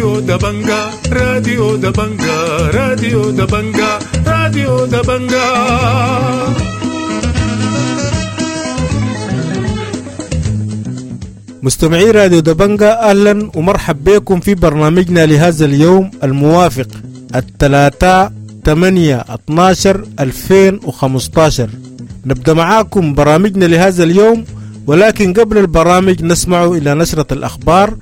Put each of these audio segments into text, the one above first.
راديو دبنجا، راديو دبنجا، راديو دبنجا، راديو دبنجا. مستمعي راديو دبنجا، أهلا ومرحب بكم في برنامجنا لهذا اليوم الموافق الثلاثاء 8/12/2015. نبدأ معاكم برامجنا لهذا اليوم، ولكن قبل البرامج نسمع إلى نشرة الأخبار،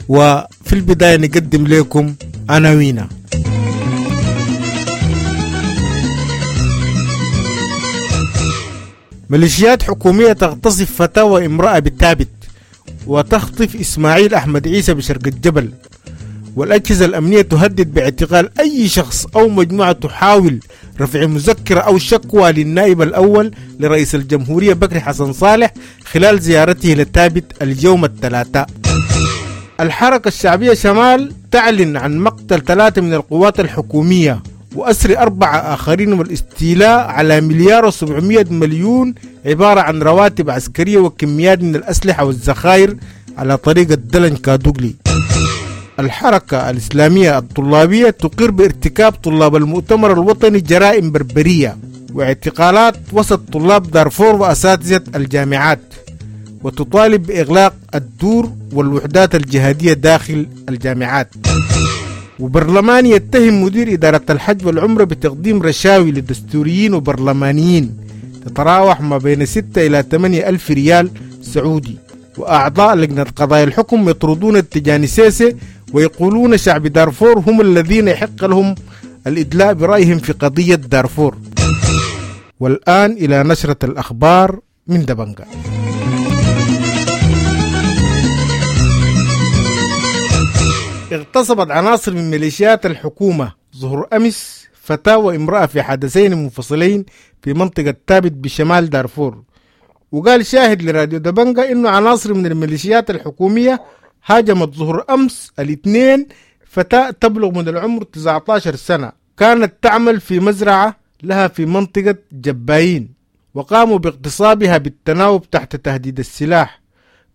وفي البداية نقدم لكم عناوينها. ميليشيات حكومية تغتصب فتاة وامرأة بالتابت وتخطف إسماعيل أحمد عيسى بشرق الجبل، والأجهزة الأمنية تهدد باعتقال أي شخص أو مجموعة تحاول رفع مذكرة أو شكوى للنائب الأول لرئيس الجمهورية بكري حسن صالح خلال زيارته لتابت اليوم الثلاثاء. الحركة الشعبية شمال تعلن عن مقتل 3 من القوات الحكومية وأسر 4 آخرين والاستيلاء على 1,700,000,000 عبارة عن رواتب عسكرية وكميات من الأسلحة والذخائر على طريق الدلن كادوغلي. الحركة الإسلامية الطلابية تقر بارتكاب طلاب المؤتمر الوطني جرائم بربرية واعتقالات وسط طلاب دارفور وأساتذة الجامعات، وتطالب بإغلاق الدور والوحدات الجهادية داخل الجامعات. وبرلمان يتهم مدير إدارة الحج والعمرة بتقديم رشاوي للدستوريين وبرلمانيين تتراوح ما بين 6 إلى 8 ألف ريال سعودي. وأعضاء لجنة قضايا الحكم يطردون التجاني سيسي ويقولون شعب دارفور هم الذين يحق لهم الإدلاء برأيهم في قضية دارفور. والآن إلى نشرة الأخبار من دبنجا. اغتصبت عناصر من ميليشيات الحكومة ظهر أمس فتاة وامرأة في حدثين منفصلين في منطقة تابت بشمال دارفور. وقال شاهد لراديو دبنجا إنه عناصر من الميليشيات الحكومية هاجمت ظهر أمس الاثنين فتاة تبلغ من العمر 19 سنة كانت تعمل في مزرعة لها في منطقة جبايين، وقاموا باغتصابها بالتناوب تحت تهديد السلاح.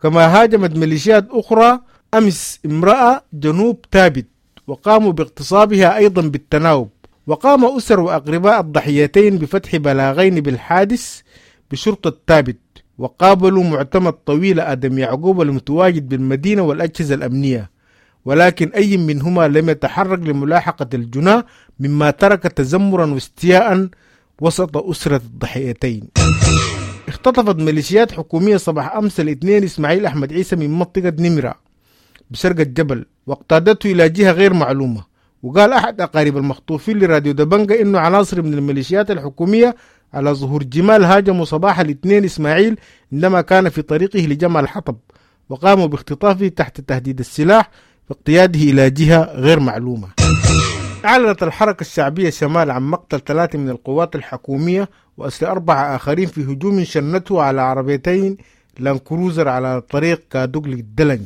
كما هاجمت ميليشيات أخرى أمس امرأة جنوب تابت وقاموا باغتصابها أيضا بالتناوب. وقام أسر وأقرباء الضحيتين بفتح بلاغين بالحادث بشرطة تابت، وقابلوا معتمد طويل آدم يعقوب المتواجد بالمدينة والأجهزة الأمنية، ولكن أي منهما لم يتحرك لملاحقة الجناة، مما ترك تذمرا واستياء وسط أسرة الضحيتين. اختطفت ميليشيات حكومية صباح أمس الاثنين إسماعيل أحمد عيسى من منطقة نمرة بشرق الجبل واقتادته إلى جهة غير معلومة. وقال أحد أقارب المخطوفين لراديو دبنجا إنه عناصر من الميليشيات الحكومية على ظهور جمال هاجموا صباح الاثنين إسماعيل عندما كان في طريقه لجمع الحطب، وقاموا باختطافه تحت تهديد السلاح واقتياده إلى جهة غير معلومة. أعلنت الحركة الشعبية شمال عن مقتل 3 من القوات الحكومية وأسر 4 آخرين في هجوم شنته على عربيتين لانكروزر على طريق كادوغلي الدلن،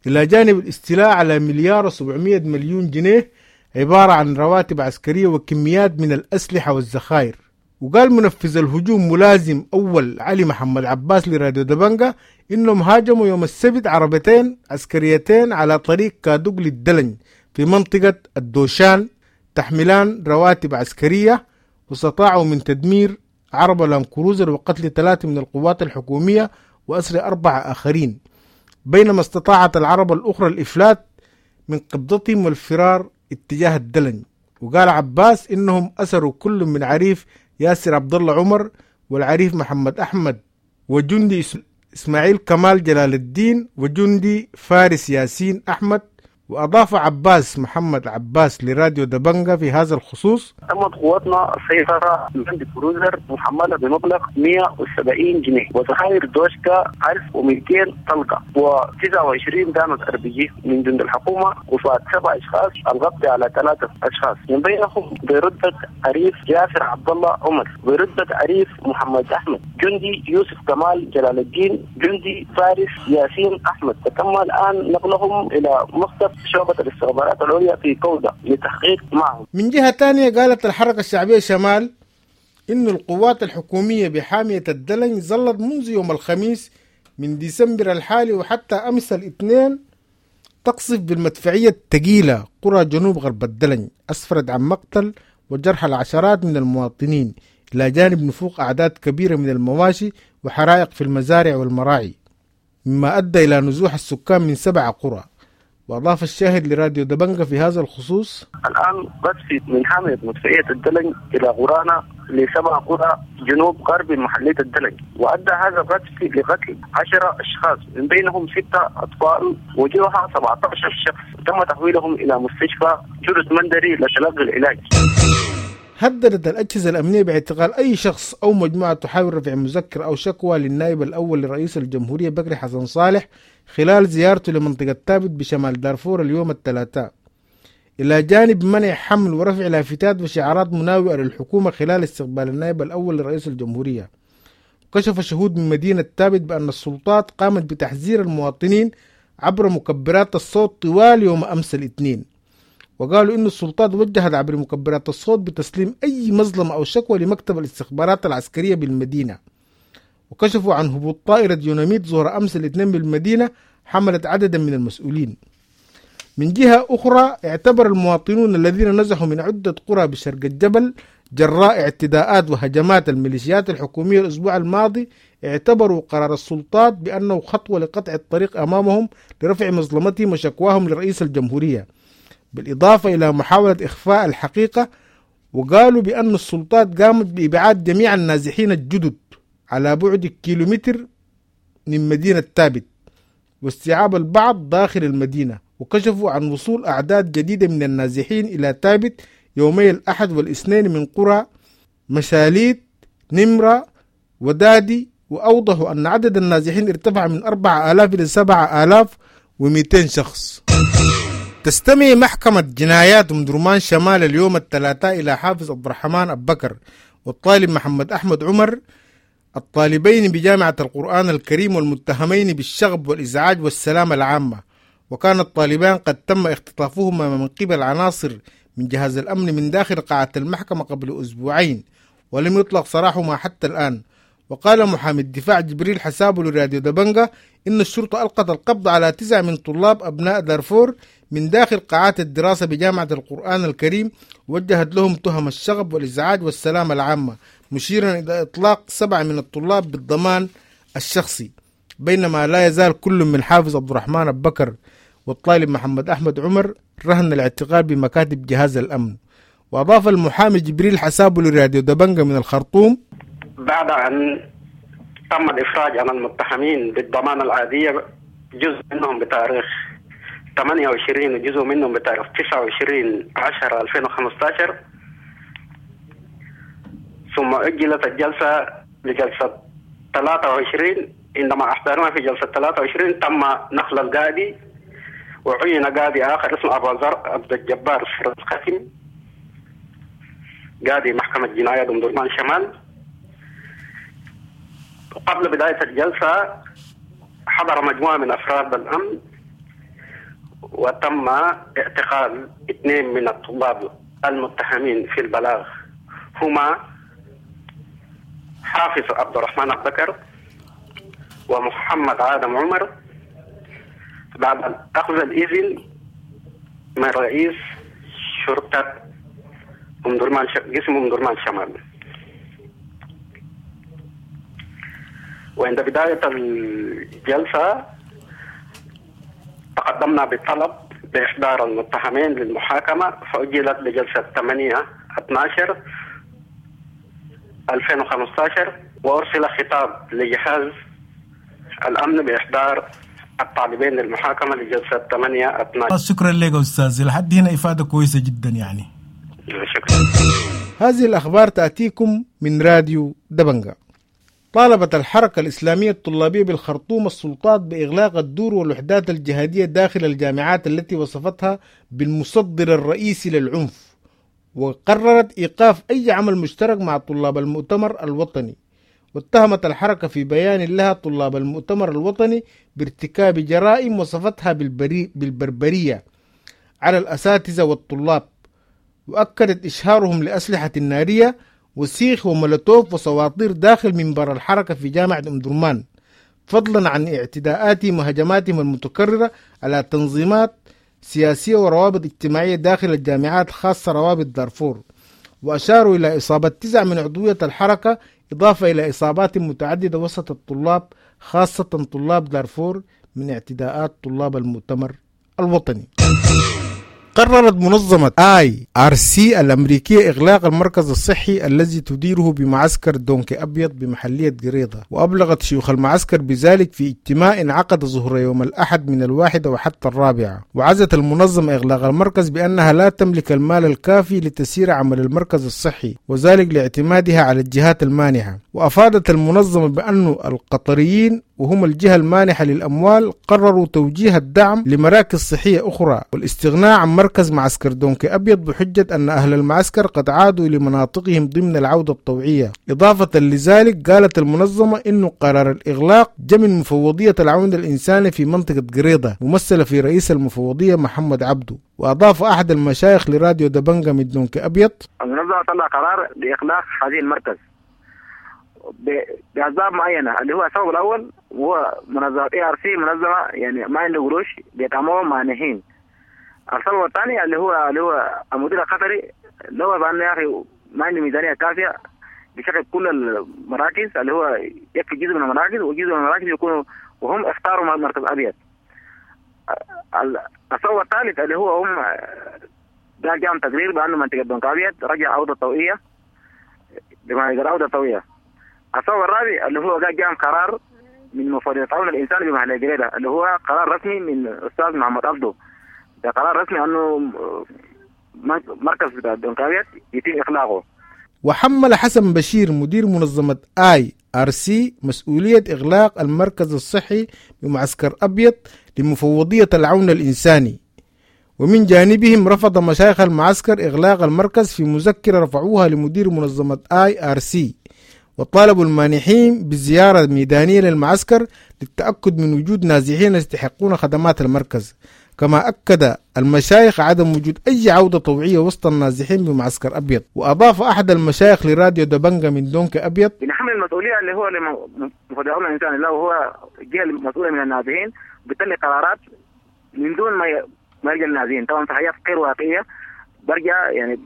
إلى جانب الاستيلاء على 1,700,000,000 جنيه عبارة عن رواتب عسكرية وكميات من الأسلحة والذخائر. وقال منفذ الهجوم ملازم أول علي محمد عباس لراديو دبنجا إنهم هاجموا يوم السبت عربتين عسكريتين على طريق كادوغلي الدلن في منطقة الدوشان تحملان رواتب عسكرية، واستطاعوا من تدمير عربة لانكروزر وقتل 3 من القوات الحكومية وأسر 4 آخرين، بينما استطاعت العربة الأخرى الإفلات من قبضتهم والفرار اتجاه الدلن. وقال عباس إنهم أسروا كل من عريف ياسر عبد الله عمر والعريف محمد أحمد وجندي إسماعيل كمال جلال الدين وجندي فارس ياسين أحمد. وأضاف عباس محمد عباس لراديو دبنجا في هذا الخصوص: تمت قواتنا السيطرة لاند كروزر محملة بمبلغ 170 جنيه وذخائر دوشكا 1200 طلقة و29 دانة RPG من جند الحكومة وفات 7 أشخاص، القبض على 3 أشخاص من بينهم برتبة عريف جاسر عبد الله عمر، برتبة عريف محمد أحمد، جندي يوسف كمال جلال الدين، جندي فارس ياسين أحمد. تم الآن نقلهم إلى مكتب شعبة الاستخبارات العليا في كودا لتحقيق معهم. من جهة ثانية قالت الحركة الشعبية شمال إن القوات الحكومية بحامية الدلنج ظلت منذ يوم الخميس من ديسمبر الحالي وحتى أمس الاثنين تقصف بالمدفعية الثقيلة قرى جنوب غرب الدلنج، أسفرت عن مقتل وجرح العشرات من المواطنين، إلى جانب نفوق أعداد كبيرة من المواشي وحرائق في المزارع والمراعي، مما أدى إلى نزوح السكان من 7 قرى. وأضاف الشاهد لراديو دبنجة في هذا الخصوص: الآن قصف من حامية مدفعية الدلنج إلى قرانا ل7 قرى جنوب غرب محلية الدلنج، وأدى هذا القصف لقتل 10 أشخاص من بينهم 6 أطفال وجرح 17 شخص، تم تحويلهم إلى مستشفى جرس مندري لتلقي العلاج. هددت الأجهزة الأمنية باعتقال أي شخص أو مجموعة تحاول رفع مذكرة أو شكوى للنائب الأول لرئيس الجمهورية بكري حسن صالح خلال زيارته لمنطقة تابت بشمال دارفور اليوم الثلاثاء، إلى جانب منع حمل ورفع لافتات وشعارات مناوئة للحكومة خلال استقبال النائب الأول لرئيس الجمهورية. وكشف شهود من مدينة تابت بأن السلطات قامت بتحذير المواطنين عبر مكبرات الصوت طوال يوم أمس الاثنين، وقالوا إن السلطات وجهت عبر مكبرات الصوت بتسليم أي مظلمة أو شكوى لمكتب الاستخبارات العسكرية بالمدينة. وكشفوا عن هبوط طائرة يوناميت ظهر أمس الاثنين بالمدينة حملت عددا من المسؤولين. من جهة أخرى، اعتبر المواطنون الذين نزحوا من عدة قرى بشرق الجبل جراء اعتداءات وهجمات الميليشيات الحكومية الأسبوع الماضي، اعتبروا قرار السلطات بأنه خطوة لقطع الطريق أمامهم لرفع مظلمتهم وشكواهم لرئيس الجمهورية، بالإضافة إلى محاولة إخفاء الحقيقة. وقالوا بأن السلطات قامت بإبعاد جميع النازحين الجدد على بعد كيلومتر من مدينة تابت واستيعاب البعض داخل المدينة، وكشفوا عن وصول أعداد جديدة من النازحين إلى تابت يومي الأحد والاثنين من قرى مشاليت، نمرة، ودادي، وأوضحوا أن عدد النازحين ارتفع من 4000 إلى 7200 شخص. تستمع محكمة جنايات أم درمان شمال اليوم الثلاثاء إلى حافظ عبد الرحمن أبو بكر والطالب محمد أحمد عمر، الطالبين بجامعة القرآن الكريم والمتهمين بالشغب والإزعاج والسلامة العامة. وكان الطالبان قد تم اختطافهما من قبل عناصر من جهاز الأمن من داخل قاعة المحكمة قبل أسبوعين، ولم يطلق سراحهما حتى الآن. وقال محامي الدفاع جبريل حسابه لراديو دبنجة إن الشرطة ألقت القبض على 9 من طلاب أبناء دارفور من داخل قاعات الدراسة بجامعة القرآن الكريم، وجهت لهم تهم الشغب والإزعاج والسلامة العامة، مشيرا إلى إطلاق 7 من الطلاب بالضمان الشخصي، بينما لا يزال كل من حافظ عبد الرحمن أبو بكر والطالب محمد أحمد عمر رهن الاعتقال بمكاتب جهاز الأمن. وأضاف المحامي جبريل حسابه لراديو دبنجة من الخرطوم: بعد أن تم الإفراج عن المتهمين بالضمانة العادية، جزء منهم بتاريخ 28 وجزء منهم بتاريخ 29/10/2015، ثم أجلت الجلسة لجلسة 23. عندما أحضرنا في جلسة 23 تم نقل القاضي وعين قاضي آخر اسمه أبو ذر عبد الجبار الختم، قاضي محكمة جناية أم درمان شمال. قبل بداية الجلسة حضر مجموعة من أفراد الأمن وتم اعتقال 2 من الطلاب المتهمين في البلاغ، هما حافظ عبد الرحمن أبو بكر ومحمد آدم عمر، بعد أخذ الإذن من رئيس شرطة أم درمان قسم أم درمان شمال. وعند بداية الجلسة تقدمنا بطلب بإحضار المتهمين للمحاكمة، فأجلت لجلسة 8/12/2015، وأرسل خطاب لجهاز الأمن بإحضار الطالبين للمحاكمة لجلسة 8/12. شكرا لك أستاذ، لحد هنا إفادة كويسة جدا يعني. شكرا. هذه الأخبار تأتيكم من راديو دبنجة. طالبت الحركة الإسلامية الطلابية بالخرطوم السلطات بإغلاق الدور والوحدات الجهادية داخل الجامعات التي وصفتها بالمصدر الرئيسي للعنف، وقررت إيقاف أي عمل مشترك مع طلاب المؤتمر الوطني. واتهمت الحركة في بيان لها طلاب المؤتمر الوطني بارتكاب جرائم وصفتها بالبربرية على الأساتذة والطلاب، وأكدت إشهارهم لأسلحة نارية وسيخ ومولوتوف وسواطير داخل منبر الحركة في جامعة أم درمان، فضلا عن اعتداءاتهم وهجماتهم المتكررة على تنظيمات سياسية وروابط اجتماعية داخل الجامعات، خاصة روابط دارفور. وأشاروا إلى إصابة 9 من عضوية الحركة، إضافة إلى إصابات متعددة وسط الطلاب، خاصة طلاب دارفور، من اعتداءات طلاب المؤتمر الوطني. قررت منظمة IRC الأمريكية إغلاق المركز الصحي الذي تديره بمعسكر دونكي أبيض بمحلية قريضة، وأبلغت شيوخ المعسكر بذلك في اجتماع انعقد ظهر يوم الأحد من 1 وحتى 4. وعزت المنظمة إغلاق المركز بأنها لا تملك المال الكافي لتسيير عمل المركز الصحي، وذلك لاعتمادها على الجهات المانحة. وأفادت المنظمة بأن القطريين وهم الجهة المانحة للأموال قرروا توجيه الدعم لمراكز صحية أخرى والاستغناء عن مركز معسكر دونكي أبيض، بحجة أن أهل المعسكر قد عادوا لمناطقهم ضمن العودة الطوعية. إضافة لذلك قالت المنظمة إنه قرار الإغلاق جاء من مفوضية العون الإنساني في منطقة قريضة ممثلة في رئيس المفوضية محمد عبده. وأضاف أحد المشايخ لراديو دبنجة من دونكي أبيض: المنظمة طلع قرار بإغلاق هذه المركز بأسباب معينة، اللي هو السبب الأول هو منظمة ARC منظمة يعني ما عنده قروش بيدعموهم مانحين. السبب الثاني اللي هو المدير القطري لو بأنه يا أخي ما عنده ميزانية كافية بشغل كل المراكز، اللي هو يكفي جزء من المراكز وجزء من المراكز يكونوا، وهم اختاروا مركز أبيض. السبب الثالث اللي هو هم جاءهم تقرير بأنه منطقة دونك أبيض رجع عودة طوعية بمعنى عودة طوعية. السبب الرابع اللي هو جاء قرار من مفوضية التعاون الإنساني بمحلية قريضة، اللي هو قرار رسمي من أستاذ محمد عبده، ده قرار رسمي أنه مركز دونك أبيض يتم إغلاقه. وحمل حسن بشير مدير منظمة IRC مسؤولية إغلاق المركز الصحي بمعسكر أبيض لمفوضية العون الإنساني. ومن جانبهم رفض مشايخ المعسكر إغلاق المركز في مذكرة رفعوها لمدير منظمة IRC، وطالبوا المانحين بالزيارة الميدانية للمعسكر للتأكد من وجود نازحين يستحقون خدمات المركز. كما أكد المشايخ عدم وجود أي عودة طوعية وسط النازحين بمعسكر أبيض. وأضاف أحد المشايخ لراديو دبنجة من دونك أبيض: بنحمل المسؤولية اللي هو لمفوضية العون الإنساني، اللي هو الجهة المسؤولة من النازحين، بالتالي قرارات من دون ما يرجع النازحين. طبعا في حاجات غير واقعية برجع يعني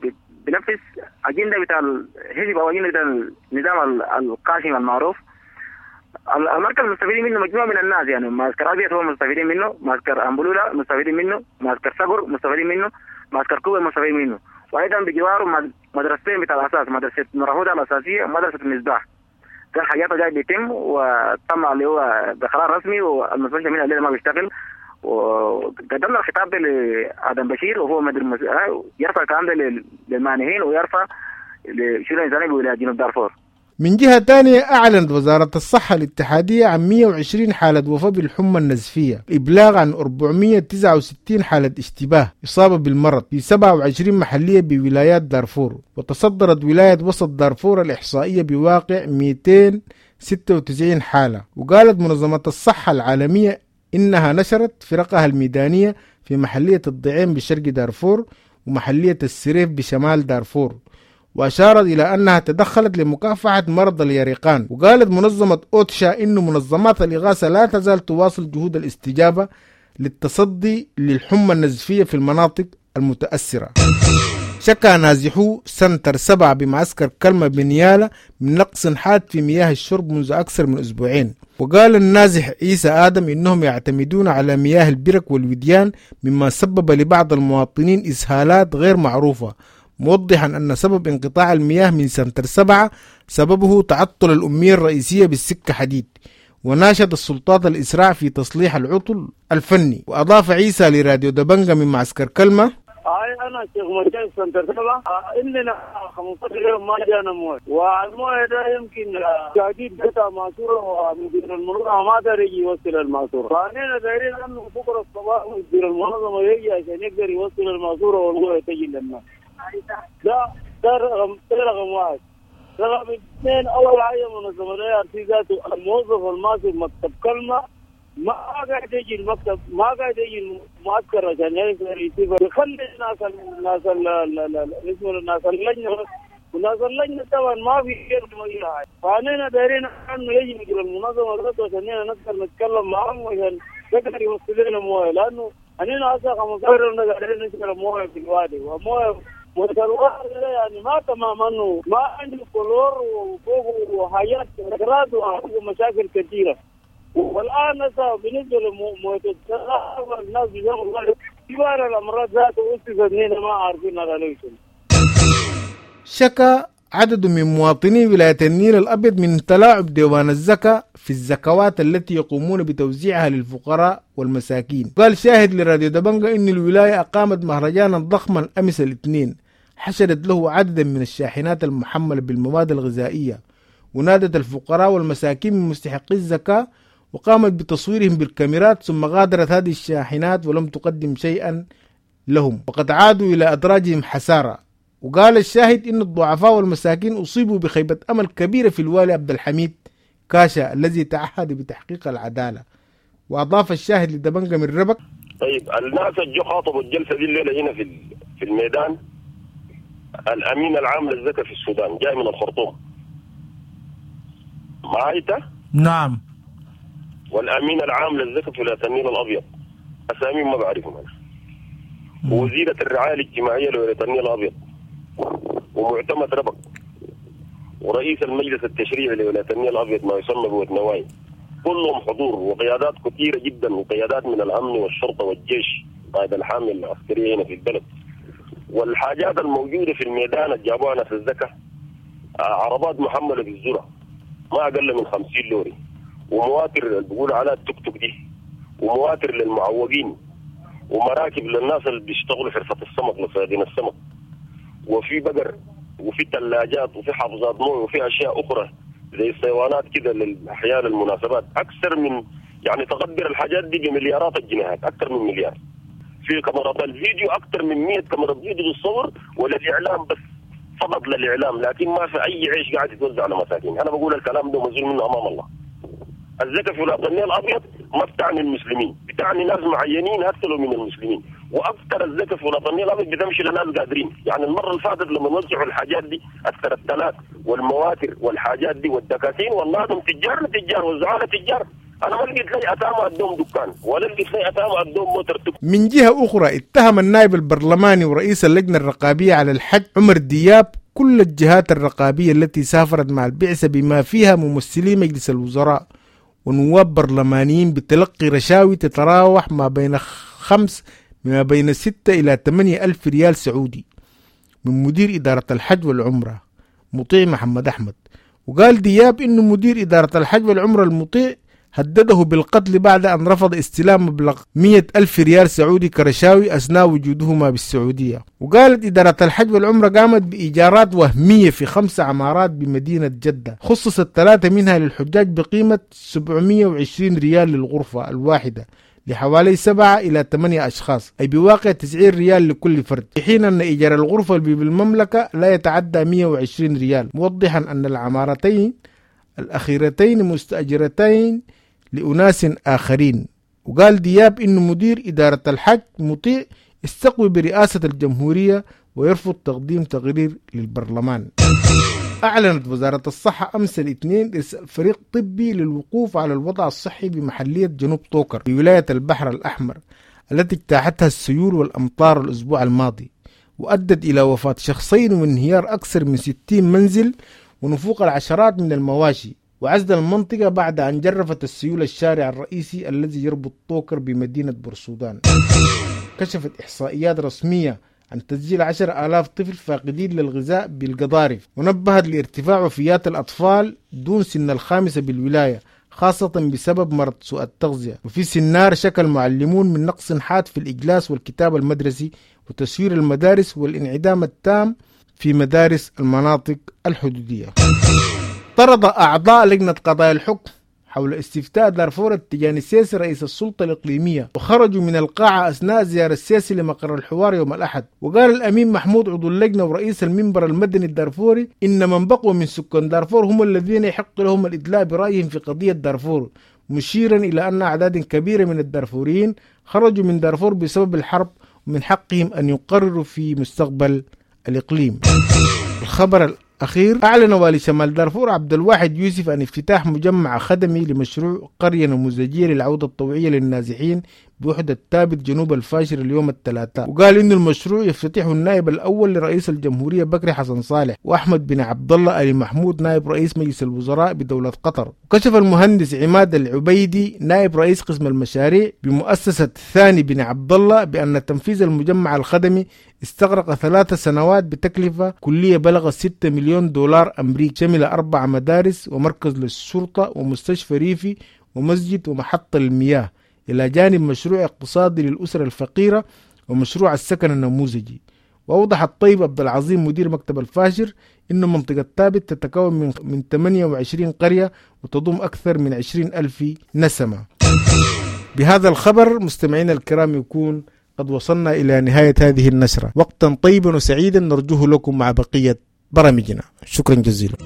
بنفس أجندة بتاع الحزب أو أجندة بتاع النظام القاسم المعروف. المركز مستفيدين منه مجموعة من الناس، يعني معسكر أبيض هو مستفيدين منه، معسكر أمبولولا مستفيدين منه، معسكر صقر مستفيدين منه، معسكر كوبا مستفيدين منه، وأيضا بجواره مدرستين بتاع الأساس، مدرسة مرهودة الأساسية ومدرسة المصباح. ده الحاجات جاي بيتم وتم اللي هو بقرار رسمي، والمستشفى منها الليلة ما بيشتغل. وقدمنا الخطاب ده لآدم بشير وهو مدير يرفع الكلام ده للمانحين ويرفع لشؤون الإنسانية بولاية جنوب دارفور. من جهة ثانية أعلنت وزارة الصحة الاتحادية عن 120 حالة وفاة بالحمى النزفية، إبلاغ عن 469 حالة اشتباه إصابة بالمرض في 27 محلية بولايات دارفور. وتصدرت ولاية وسط دارفور الإحصائية بواقع 296 حالة. وقالت منظمة الصحة العالمية إنها نشرت فرقها الميدانية في محلية الضعين بشرق دارفور ومحلية السريف بشمال دارفور، وأشارت إلى أنها تدخلت لمكافحة مرض اليرقان. وقالت منظمة أوتشا إن منظمات الإغاثة لا تزال تواصل جهود الاستجابة للتصدي للحمى النزفية في المناطق المتأثرة. شكى نازحو سنتر 7 بمعسكر كلمة بنيالة من نقص حاد في مياه الشرب منذ أكثر من أسبوعين. وقال النازح عيسى آدم إنهم يعتمدون على مياه البرك والوديان، مما سبب لبعض المواطنين إسهالات غير معروفة، موضحا أن سبب انقطاع المياه من سنتر 7 سببه تعطل الأمية الرئيسية بالسكة حديد، وناشد السلطات الإسراع في تصليح العطل الفني. وأضاف عيسى لراديو دبنجة من معسكر كلمة: أنا شيخ مجاهد سنتر 7 إننا 15 يوم ما جانا مويه، والمويه ده يمكن جديد قطع ماسورة ومدير المنظمة ما دار يجي يوصل الماسورة، فأننا دايرين أنه بكرة الصباح مدير المنظمة يجي عشان يقدر يوصل الماسورة والمويه تجي للناس. ده رقم واحد. رقم اثنين، أول حاجة منظمة IRC ذاته الموظف الماسك مكتب كلمة ما قاعد يجي المكتب، ما قاعد يجي المعسكر عشان يقدر يشوف، يخلي الناس الناس اللجنة وناس اللجنة طبعا ما في غير اي حاجة. فاننا دايرين انه يجي مدير المنظمة ذاته عشان نقدر نتكلم معهم عشان يقدر يوصل لنا مويه، لانه اننا هسه 15 يوم قاعدين نشرب مويه في الوادي، ومويه الوادي يعني ما تمام، انه ما عنده كلور وفوق وحاجات ومشاكل كثيرة. والان هسه بالنسبة لمويه الشراب الناس بيشربوا كبار الامراض ذاته اسست ما عارفين هذا ليش. شكا عدد من مواطني ولاية النيل الأبيض من تلاعب ديوان الزكاة في الزكوات التي يقومون بتوزيعها للفقراء والمساكين. قال شاهد لراديو دبنجة إن الولاية أقامت مهرجانا ضخما أمس الاثنين حشدت له عددا من الشاحنات المحملة بالمواد الغذائية، ونادت الفقراء والمساكين من مستحقي الزكاة وقامت بتصويرهم بالكاميرات، ثم غادرت هذه الشاحنات ولم تقدم شيئا لهم، وقد عادوا إلى أدراجهم حسارة. وقال الشاهد إن الضعفاء والمساكين أصيبوا بخيبة أمل كبيرة في الوالي عبد الحميد كاشا الذي تعهد بتحقيق العدالة. وأضاف الشاهد لدبنجة من ربك: طيب الناس جو خاطبوا الجلسة دي الليلة هنا في الميدان، الأمين العام للزكاة في السودان جاي من الخرطوم معايته؟ نعم. والأمين العام للزكاة في ولاية النيل الأبيض، أساميهم ما بعرفهم أنا. ووزيرة الرعاية الاجتماعية لولاية النيل الأبيض، ومعتمد ربك، ورئيس المجلس التشريعي لولاية النيل الأبيض ما يسمى بودنواي، كلهم حضور، وقيادات كثيرة جدا، وقيادات من الأمن والشرطة والجيش قائد الحامل العسكرية هنا في البلد. والحاجات الموجودة في الميدان اللي جابوها ناس الزكاة عربات محملة بالذرة ما أقل من 50 لوري، ومواتر اللي بيقولوا عليها التوك توك دي، ومواتر للمعوقين، ومراكب للناس اللي بيشتغلوا حرفة السمك لصيادين السمك، وفي بقر، وفي ثلاجات، وفي حافظات مويه، وفي اشياء اخرى زي الصيوانات كده للاحيان المناسبات. اكثر من يعني تقدر الحاجات دي بمليارات الجنيهات، اكثر من مليار. في كاميرات الفيديو اكثر من 100 كاميرا فيديو بالصور، وللاعلام بس، فقط للاعلام، لكن ما في اي عيش قاعد يتوزع على مساكين. انا بقول الكلام ده مسؤول منه امام الله. الزكاة في ولاية النيل الابيض ما بتعني المسلمين، بتعني ناس معينين اكثر من المسلمين، واكثر الزكاة في ولاية النيل الابيض بتمشي لناس قادرين. يعني المرة اللي فاتت لما وزعوا الحاجات دي اكثر الثلاث والمواتر والحاجات دي والدكاكين، والله هم تجار لتجار وزعوها لتجار. انا ما لقيت لي اتامه ادوم دكان، ولا لقيت لي اتامه ادوم موتر. من جهة اخرى اتهم النائب البرلماني ورئيس اللجنة الرقابية على الحج عمر دياب كل الجهات الرقابية التي سافرت مع البعثة بما فيها ممثلي مجلس الوزراء ونواب برلمانيين بتلقي رشاوي تتراوح ما بين 6 إلى 8 ألف ريال سعودي من مدير إدارة الحج والعمرة مطيع محمد أحمد. وقال دياب إنه مدير إدارة الحج والعمرة المطيع هدده بالقتل بعد أن رفض استلام مبلغ 100 ألف ريال سعودي كرشاوي أثناء وجودهما بالسعودية. وقالت إدارة الحج والعمرة قامت بإيجارات وهمية في 5 عمارات بمدينة جدة، خصصت 3 منها للحجاج بقيمة 720 ريال للغرفة الواحدة لحوالي 7 إلى 8 أشخاص، أي بواقع 90 ريال لكل فرد، في حين أن إيجار الغرفة بالمملكة لا يتعدى 120 ريال، موضحا أن العمارتين الأخيرتين مستأجرتين لأناس آخرين. وقال دياب إن مدير إدارة الحج مطيع استقوي برئاسة الجمهورية ويرفض تقديم تقرير للبرلمان. أعلنت وزارة الصحة أمس الاثنين إرسال فريق طبي للوقوف على الوضع الصحي بمحلية جنوب طوكر بولاية البحر الأحمر التي اجتاحتها السيول والأمطار الأسبوع الماضي، وأدت إلى وفاة شخصين وانهيار أكثر من 60 منزل ونفوق العشرات من المواشي، وعزل المنطقة بعد أن جرفت السيول الشارع الرئيسي الذي يربط طوكر بمدينة بورسودان. كشفت إحصائيات رسمية عن تسجيل 10,000 طفل فاقدين للغذاء بالقضارف، ونبهت لارتفاع وفيات الأطفال دون سن 5 بالولاية، خاصة بسبب مرض سوء التغذية. وفي سنار شكى المعلمون من نقص حاد في الإجلاس والكتاب المدرسي وتسوير المدارس والانعدام التام في مدارس المناطق الحدودية. طرد أعضاء لجنة قضايا الحكم حول استفتاء دارفور التجاني السيسي رئيس السلطة الإقليمية، وخرجوا من القاعة أثناء زيارة السيسي لمقر الحوار يوم الأحد. وقال الأمين محمود عضو اللجنة ورئيس المنبر المدني الدارفوري إن من بقوا من سكان دارفور هم الذين يحق لهم الإدلاء برأيهم في قضية دارفور، مشيرا إلى أن أعداد كبيرة من الدارفوريين خرجوا من دارفور بسبب الحرب ومن حقهم أن يقرروا في مستقبل الإقليم. الخبر الأخير، أعلن والي شمال دارفور عبد الواحد يوسف عن افتتاح مجمع خدمي لمشروع قرية نموذجية للعودة الطوعية للنازحين بوحدة تابت جنوب الفاشر اليوم الثلاثاء. وقال إن المشروع يفتتحه النائب الأول لرئيس الجمهورية بكري حسن صالح وأحمد بن عبد الله آل محمود نائب رئيس مجلس الوزراء بدولة قطر. وكشف المهندس عماد العبيدي نائب رئيس قسم المشاريع بمؤسسة ثاني بن عبد الله بأن تنفيذ المجمع الخدمي استغرق 3 سنوات بتكلفة كلية بلغت 6 مليون دولار أمريكي، شمل 4 مدارس ومركز للشرطة ومستشفى ريفي ومسجد ومحطة المياه، إلى جانب مشروع اقتصادي للأسر الفقيرة ومشروع السكن النموذجي. وأوضح الطيب عبد العظيم مدير مكتب الفاشر إن منطقة تابت تتكون من 28 قرية وتضم أكثر من 20 ألف نسمة. بهذا الخبر مستمعينا الكرام يكون قد وصلنا إلى نهاية هذه النشرة. وقتا طيبا وسعيدا نرجوه لكم مع بقية برامجنا. شكرا جزيلا.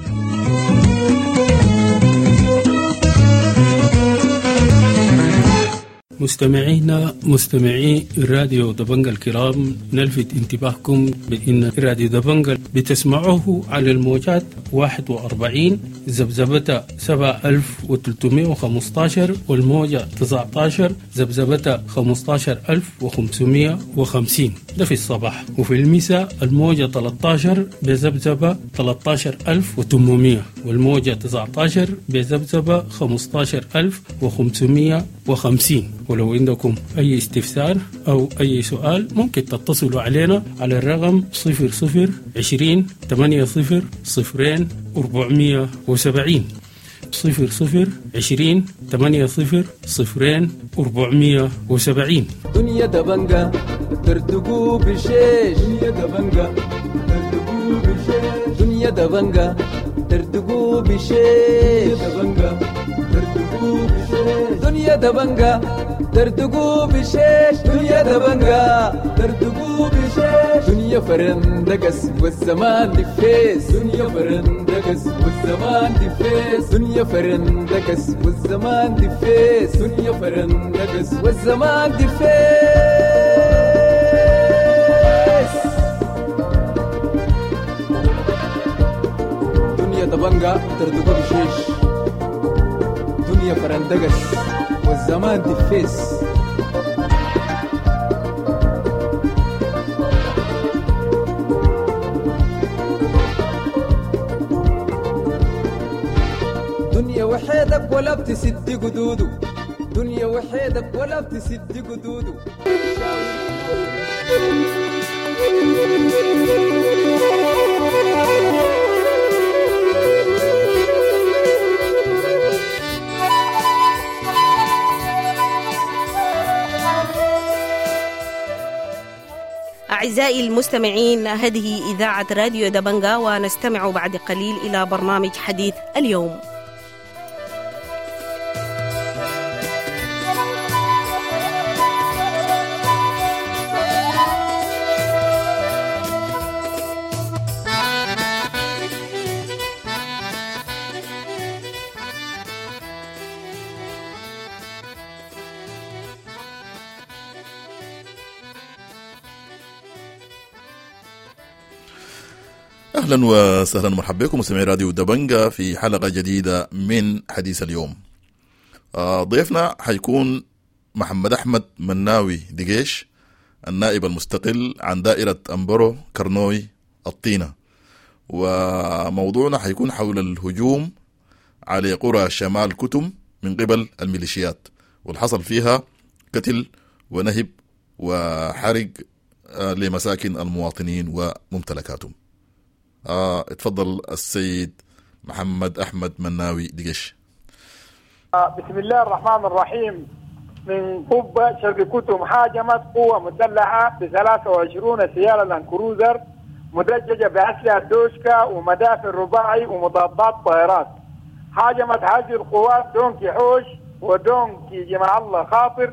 مستمعينا مستمعي راديو دبنجا الكرام، نلفت انتباهكم بأن راديو دبنجا بتسمعوه على الموجات 41 ذبذبة 7315 والموجة 19 ذبذبة 15550، ده في الصباح. وفي المساء الموجة 13 بذبذبة 13800 والموجة 19 بذبذبة 15550. ولو عندكم أي استفسار أو أي سؤال ممكن تتصلوا علينا على الرقم 00 20 80 0 470، 00 20 80 0 470. دنيا دبنجة ترتقو بشيش، دنيا دبنجة ترتقو بشيش، دنيا دبنجة ترتقو بشيش، دبنجة ترتقو بشيش، دنيا دبنجة ترتقو بشيش، دنيا دبنجة ترتقو بشيش، دنيا فرندقس والزمان دفيس، دنيا فرندقس والزمان دفيس، دنيا فرندقس والزمان دفيس، دنيا فرندقس والزمان دفيس. دنيا دبنجة ترتقو بشيش، دنيا فرندقس والزمان دفيس. دنيا وحيدك ولا بتسد قدوده، دنيا وحيدك ولا بتسد قدوده. أعزائي المستمعين، هذه إذاعة راديو دبنجا، ونستمع بعد قليل إلى برنامج حديث اليوم. اهلا وسهلا ومرحبا بكم مستمعي راديو دبنجا في حلقة جديدة من حديث اليوم. ضيفنا حيكون محمد احمد مناوي دقيش، النائب المستقل عن دائرة امبرو كرنوي الطينه، وموضوعنا حيكون حول الهجوم على قرى شمال كتم من قبل الميليشيات والحصل فيها قتل ونهب وحرق لمساكن المواطنين وممتلكاتهم. اتفضل السيد محمد أحمد مناوي دقش. بسم الله الرحمن الرحيم. من قبة شرق كتم هاجمت قوة مسلحة ب 23 سيارة لاندكروزر مدججة بأسلحة دوشكا ومدافع رباعي ومضادات طائرات. هاجمت هذه القوات دونكي حوش ودونكي جمع الله خاطر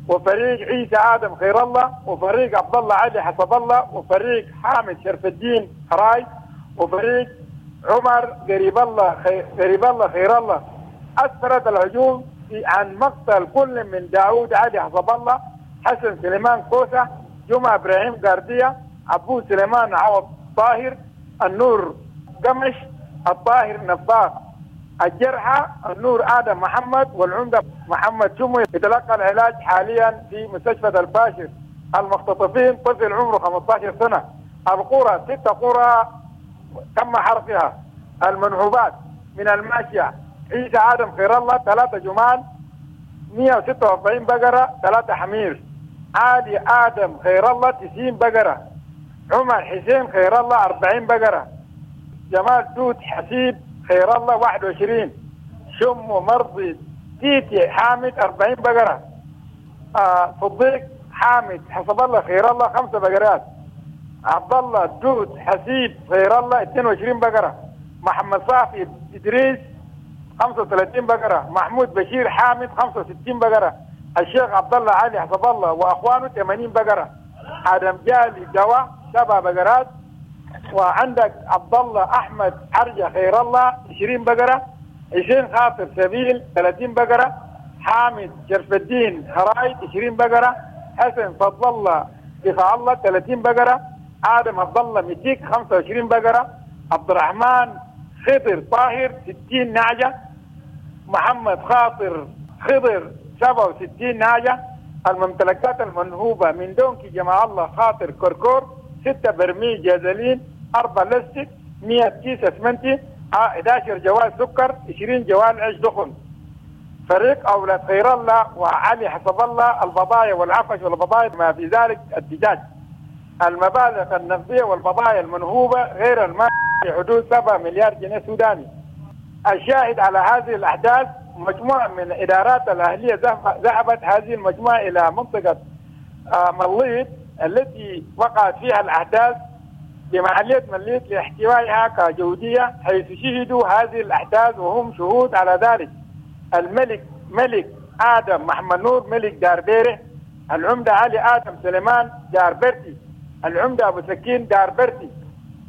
وفريق عيسى آدم خير الله وفريق عبد الله علي حسب الله وفريق حامد شرف الدين حراي وفريق عمر قريب الله خير الله. أسفرت الهجوم عن مقتل كل من داود علي حسب الله، حسن سليمان كوسة، جمعة إبراهيم قاردية، عبود سليمان عوض طاهر، النور قمش الطاهر نفاق. الجرحى النور آدم محمد والعمدة محمد شمو يتلقى العلاج حاليا في مستشفى الفاشر. المختطفين طفل عمره 15 سنة. القرى 6 قرى تم حرقها. المنهوبات من الماشية عيسى آدم خير الله 3 جمال، 146 بقرة، 3 حمير. علي آدم خير الله 90 بقرة. عمر حسين خير الله 40 بقرة. جمال توت حسيب خير الله 21. شم مرضي تيتي حامد 40 بقرة. صديق حامد حسب الله خير الله 5 بقرات. عبد الله دوت حسيب خير الله 22 بقرة. محمد صافي إدريس 35 بقرة. محمود بشير حامد 65 بقرة. الشيخ عبد الله علي حسب الله وأخوانه 80 بقرة. آدم جالي دواء 7 بقرات. وعندك عبد الله احمد عرجه خير الله 20 بقرة. حسين خاطر سبيل 30 بقرة. حامد شرف الدين هرايد 20 بقرة. حسن فضل الله دفاع الله 30 بقرة. ادم عبد الله متيك 25 بقرة. عبد الرحمن خضر طاهر 60 نعجة. محمد خاطر خضر 67 نعجة. الممتلكات المنهوبه من دونكي جماعة الله خاطر كركور 6 برميل جازلين، 4 لستك، 100 كيس اسمنتي، 11 جوال سكر، 20 جوال عيش دخن. فريق اولاد خير الله وعلي حسب الله البضايع والعفش والبضايع ما في ذلك الدجاج. المبالغ النقدية والبضائع المنهوبه غير المال في حدود 7 مليار جنيه سوداني. الشاهد على هذه الاحداث مجموعة من الادارات الاهلية ذهبت هذه المجموعة الى منطقة مليط التي وقعت فيها الأحداث بمحلية مليط لاحتوائها كجودية، حيث شهدوا هذه الأحداث وهم شهود على ذلك. الملك ملك آدم محمد نور ملك دار بيره، العمدة علي آدم سليمان دار برتي، العمدة أبو سكين دار برتي،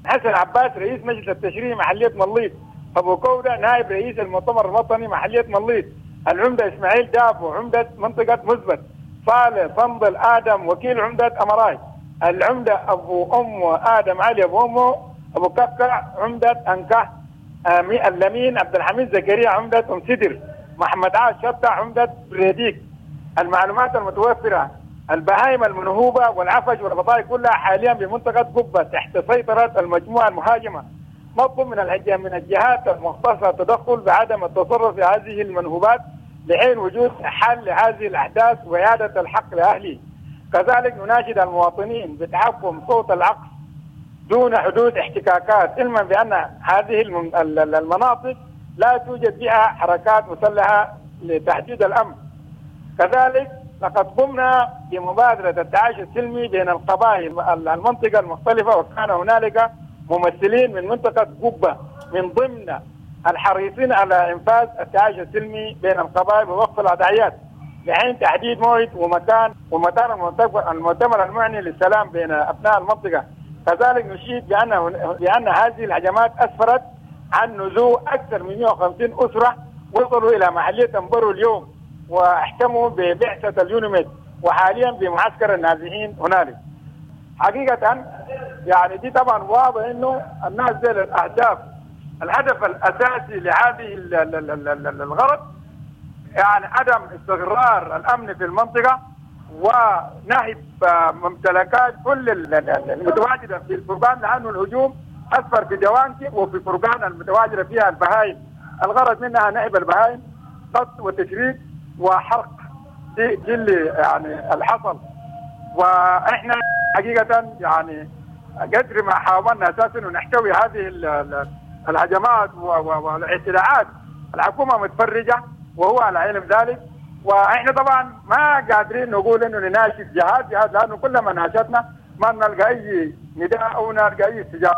حسن عباس رئيس مجلس التشريع محلية مليط، أبو كودة نائب رئيس المؤتمر الوطني محلية مليط، العمدة إسماعيل دابو عمدة منطقة مزبت، صالح صندل آدم وكيل عمدة أمراي، العمدة أبو أم آدم علي أبو أمه أبو كفكع عمدة أنكه، اللمين عبد الحميد زكريا عمدة أم سدر، محمد عاش شطة عمدة بريديك. المعلومات المتوفرة: البهائم المنهوبة والعفش والبضائع كلها حاليا بمنطقة قبة تحت سيطرة المجموعة المهاجمة. نطلب من الجهات المختصة التدخل بعدم التصرف في هذه المنهوبات لحين وجود حل لهذه الأحداث وإعادة الحق لأهله. كذلك نناشد المواطنين بتحكم صوت العقل دون حدوث احتكاكات، علما بأن هذه المناطق لا توجد بها حركات مسلحة لتحديد الأمن. كذلك لقد قمنا بمبادرة التعايش السلمي بين القبائل المنطقة المختلفة، وكان هنالك ممثلين من منطقة قبة من ضمن الحريصين على إنفاذ التعايش السلمي بين القبائل ووقف العدائيات لحين تحديد موعد ومكان ومكان المؤتمر المعني للسلام بين أبناء المنطقة. كذلك نشيد بأن هذه الهجمات أسفرت عن نزوح أكثر من 150 أسرة وصلوا إلى محلية أمبرو اليوم واحتموا ببعثة اليونيميد وحاليا بمعسكر النازحين هنالك. حقيقة يعني دي طبعا واضح إنه الناس دي الأهداف، الهدف الأساسي لهذه الغرض يعني عدم استقرار الأمن في المنطقة ونهب ممتلكات كل المتواجدة في الفرقان، لأنه الهجوم أسفر في دوانكي وفي فرقان المتواجدة فيها البهائم. الغرض منها نهب البهائم، قتل وتشريد وحرق، دي اللي يعني الحصل. وإحنا حقيقة يعني قدر ما حاولنا أساسا نحتوي هذه الهجمات والاعتداءات، الحكومة متفرجة وهو على علم ذلك. واحنا طبعا ما قادرين نقول انه نناشد جهاد لانه كلما ناشدنا ما نلقى اي نداء او نلقى اي استجابة.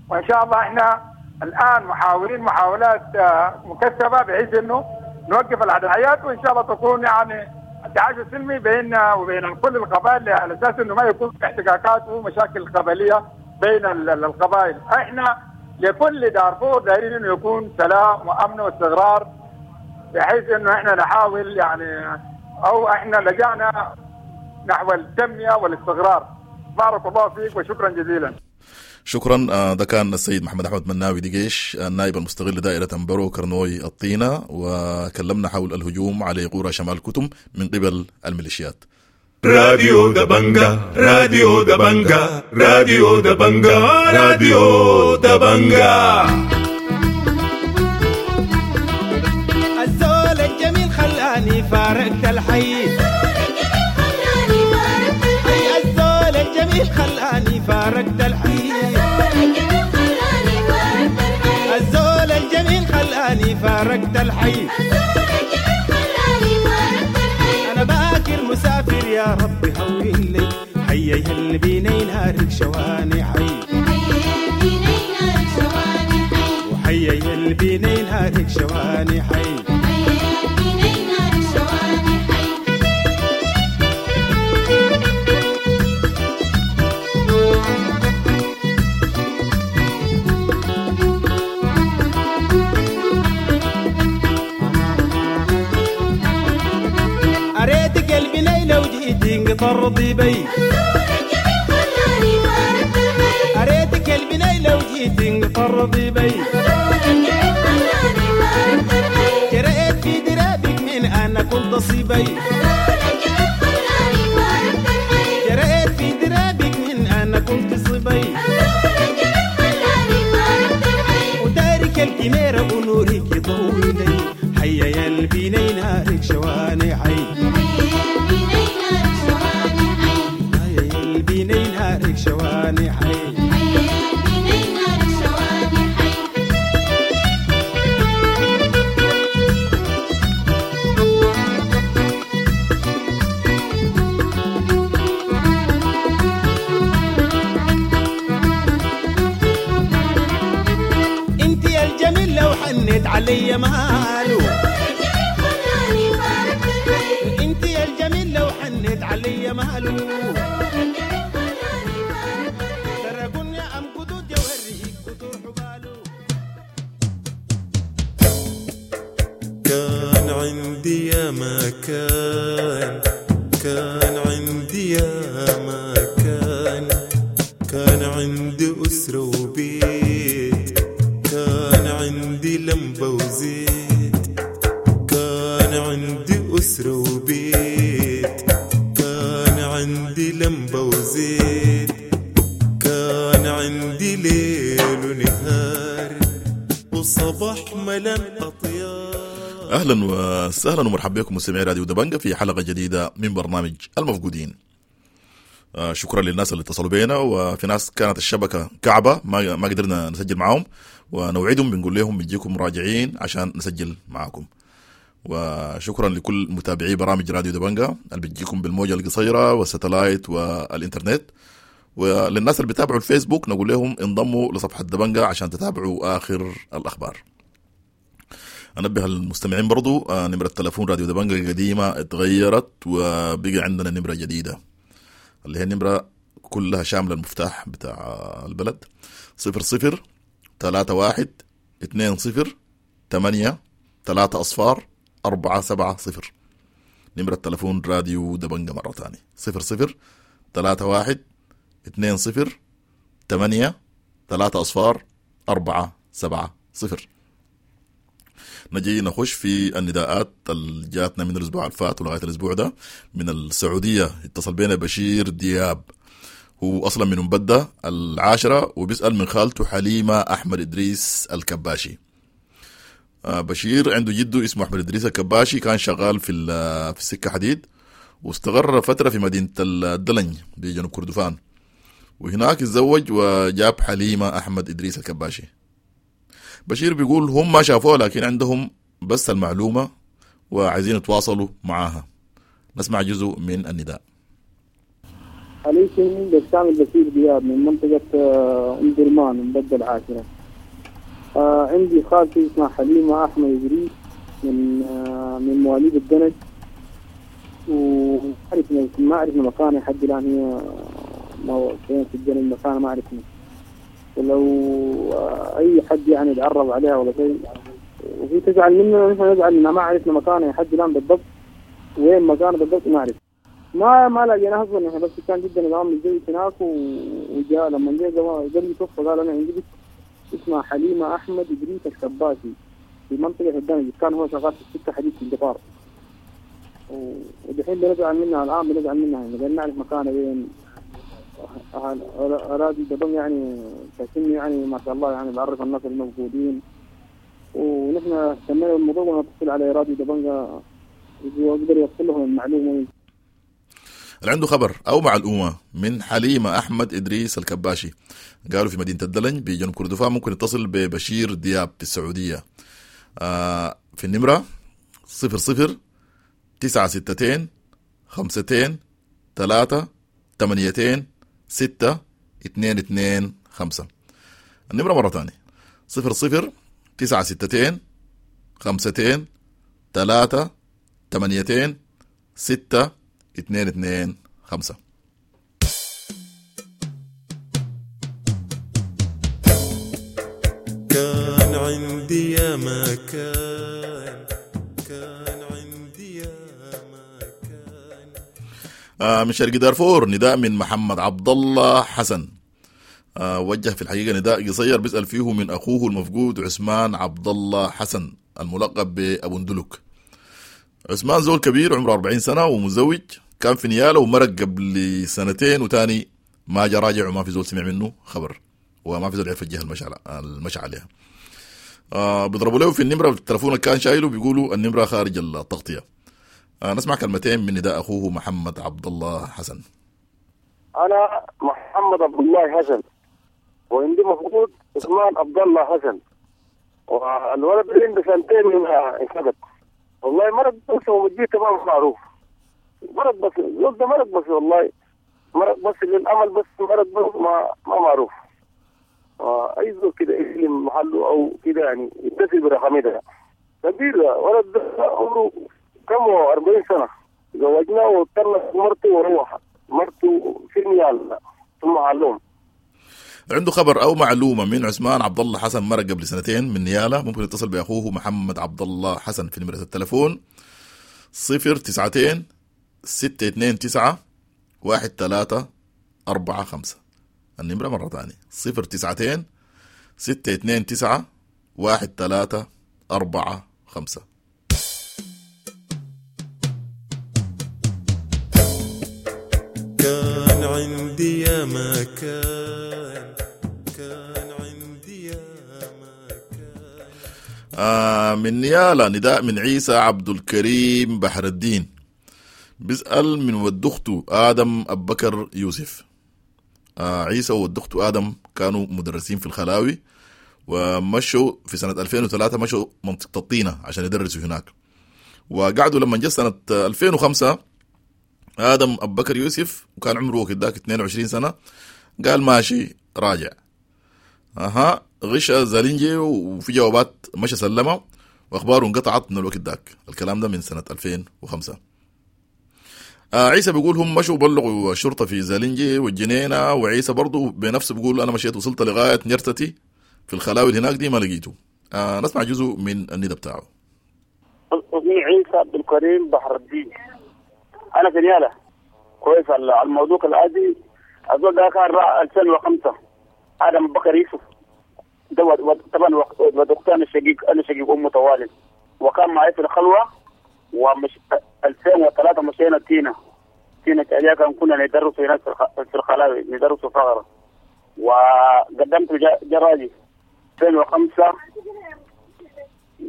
وان شاء الله احنا الان محاولين محاولات مكثفة بحيث انه نوقف العدائيات، وان شاء الله تكون يعني التعايش السلمي بيننا وبين كل القبائل على اساس انه ما يكون في احتكاكات ومشاكل قبليه بين القبائل. احنا لكل دارفور دايرين انه يكون سلام وامن واستقرار، بحيث انه احنا نحاول يعني او احنا لجأنا نحو التنمية والاستقرار. بارك الله فيك وشكرا جزيلا. شكرا. ده كان السيد محمد احمد مناوي دقيش، النائب المستقل لدائره امبرو كرنوي الطينه، وكلمنا حول الهجوم على قرى شمال كتم من قبل الميليشيات. راديو دبنجا، راديو دبنجا، راديو دبنجا، راديو دبنجا. الزول الجميل خلاني فارقت الحي، الزول الجميل خلاني فارقت الحي، الزول الجميل خلاني فارقت الحي. أنا باكر مسافر يا ربي هون لي، حي يهل بيني نارك شواني حي، وحي يهل بيني نارك شواني حي. أريت قلبي ليلى وجيت انقطر بي، أريت قلبي ليلى وجيت انقطر بي، جريت في درابك من أنا كنت صبي، جريت في درابك من أنا كنت صبي، وتارك الكميرة ونورك يضوي لي، حيا يا البيني نارك شواني حي، حيا يا البيني نارك شواني حي. انت يا الجميل لو حنيت علي ماله، انت يا الجميل لو حنيت علي ماله، ترى يا ام قدود يوريك قدور حباله. كان عندي يا ما كان، كان عندي يا ما كان، كان عندي أسرة وبيت، كان عندي لمبة وزيت، كان عندي أسرة وبيت، كان عندي لمبة وزيت، كان عندي ليل ونهار وصباح ملان أطيار. اهلا وسهلا ومرحبا بكم مستمعي راديو دبنجا في حلقة جديدة من برنامج المفقودين. شكرا للناس اللي اتصلوا بينا، وفي ناس كانت الشبكة كعبه ما قدرنا نسجل معاهم، ونوعدهم بنقول لهم بنجيكم راجعين عشان نسجل معاكم. وشكرا لكل متابعي برامج راديو دبنجا اللي بتجيكم بالموجة القصيرة والستلايت والانترنت، وللناس اللي بيتابعوا الفيسبوك نقول لهم انضموا لصفحة دبنجا عشان تتابعوا اخر الاخبار. انبه المستمعين برضو نمرة تلفون راديو دبنجا القديمة اتغيرت وبقى عندنا نمرة جديدة اللي هي نمرة كلها شاملة المفتاح بتاع البلد، 00 31 20 8 3 0 4 7 0. نمرة تلفون راديو دبنجا مرة تانية 00 31 20 8 3 0 4 7 0. نجي نخش في النداءات اللي جاتنا من الاسبوع الفات ولغاية الاسبوع ده. من السعودية اتصل بينا بشير دياب، هو اصلا من مبده العاشرة، وبيسال من خالته حليمة احمد ادريس الكباشي. بشير عنده جده اسمه احمد ادريس الكباشي، كان شغال في السكة حديد، واستقر فترة في مدينة الدلنج بجنوب كردفان، وهناك اتزوج وجاب حليمة احمد ادريس الكباشي. بشير بيقول هم ما شافوها لكن عندهم بس المعلومة وعايزين يتواصلوا معاها. نسمع جزء من النداء. عليكم بسام البشير دياب من منطقة أم درمان مبدل العاشرة. عندي خالتي اسمها حليمة أحمد إدريس من مواليد الدنج، وعرفنا ما عرفنا مكانها لحد الآن، هي فين في الدنج مكانها ما عرفنا، ولو أي حد يعني يتعرف عليها ولا شيء وفي تزعل مننا، نحن نزعل إنها ما عرفنا مكانها لحد الآن بالضبط، وين مكانها بالضبط ما عرفنا. ما لقيناه اصلا احنا، بس كان جدا العام متزوج هناك وجاء لما جاء قبل يتوفى قال انا عندي بنت اسمها حليمة احمد ادريس الكباسي في منطقة الدمج، كان هو شغال في السكة حديد في القطار، ودحين بنزعل منها الان، بنزعل منها يعني نعرف مكانه وين. اراضي دبم يعني تسمي يعني ما شاء الله يعني بعرف الناس الموجودين، ونحن اهتمينا بالموضوع ونتصل على راديو دبنجا يقدر يوصل لهم المعلومة. اللي عنده خبر او معلومة من حليمة احمد ادريس الكباشي قالوا في مدينة الدلنج بجنوب كردفان، ممكن يتصل ببشير دياب في السعودية في النمرة 00 9 6 2 3 8 6 2 2 5. النمرة مرة ثانية 00 9 6 2 3 8 6 2 2 5. كان عندي يا ما كان، كان عندي يا ما كان. من شرق دارفور نداء من محمد عبد الله حسن. وجه في الحقيقة نداء قصير بيسأل فيه من أخوه المفقود عثمان عبد الله حسن الملقب بأبو ندلك. عثمان زول كبير عمره 40 سنة ومزوج، كان في نيالة ومرق قبل سنتين وتاني ما جا راجع وما في زول سمع منه خبر وما في زول عرف الجهة المشى عليها. بيضربوا له في النمرة التليفون كان شايله بيقولوا النمرة خارج التغطية. نسمع كلمتين من نداء أخوه محمد عبد الله حسن. أنا محمد عبد الله حسن وعندي مفقود عثمان عبد الله حسن، والولد عنده سنتين من انفقد. والله مرض بس ومجيه تمام معروف، مرض بس الولد ده مرض بس، والله مرض بس للأمل بس مرض بس ما معروف. أي زول كده يسلم محله أو كده يعني يتصل برقمي ده كبير. ولد ده عمره كم 40 سنة، زوجناه وطلق مرته وروح مرته في نيال ثم علوم. عنده خبر او معلومة من عثمان عبد الله حسن مرق قبل سنتين من نياله، ممكن يتصل باخوه محمد عبد الله حسن في نمره التليفون 092 629 1345. النمرة مرة ثانية 092 629 1345. كان عندي يا ما كان، كان عندي يا ما كان. من نيالا نداء من عيسى عبد الكريم بحر الدين بيسأل من ود أخته آدم أبو بكر يوسف. عيسى وود أخته آدم كانوا مدرسين في الخلاوي ومشوا في سنة 2003 مشوا منطقة الطينة عشان يدرسوا هناك، وقعدوا لما جت سنة 2005 آدم أبو بكر يوسف وكان عمره وقت 22 سنة قال ماشي راجع. غش زالينجي وفي جوابات مشى سلمها وأخباره انقطعت من الوقت ذاك. الكلام ده من سنة 2005. عيسى بيقول هم مشوا بلغوا الشرطة في زالينجي والجنينة، وعيسى برضو بنفسه بيقول أنا مشيت وصلت لغاية نيرتتي في الخلاوي اللي هناك دي ما لقيته. نسمع جزء من الندى بتاعه. اسمي عيسى عبد الكريم بحر الدين، أنا في نيالة. كويس الموضوع العادي الزول ده كان 2005 آدم بكر يوسف ده طبعا ودكتور أنا شقيق، أنا شقيق أمه طوالي، وكان معي في الخلوة. ومش 2003 مشينا تينا كان كنا ندرس هناك في الخلاوي ندرس فقرة، وقدمت جراجي 2005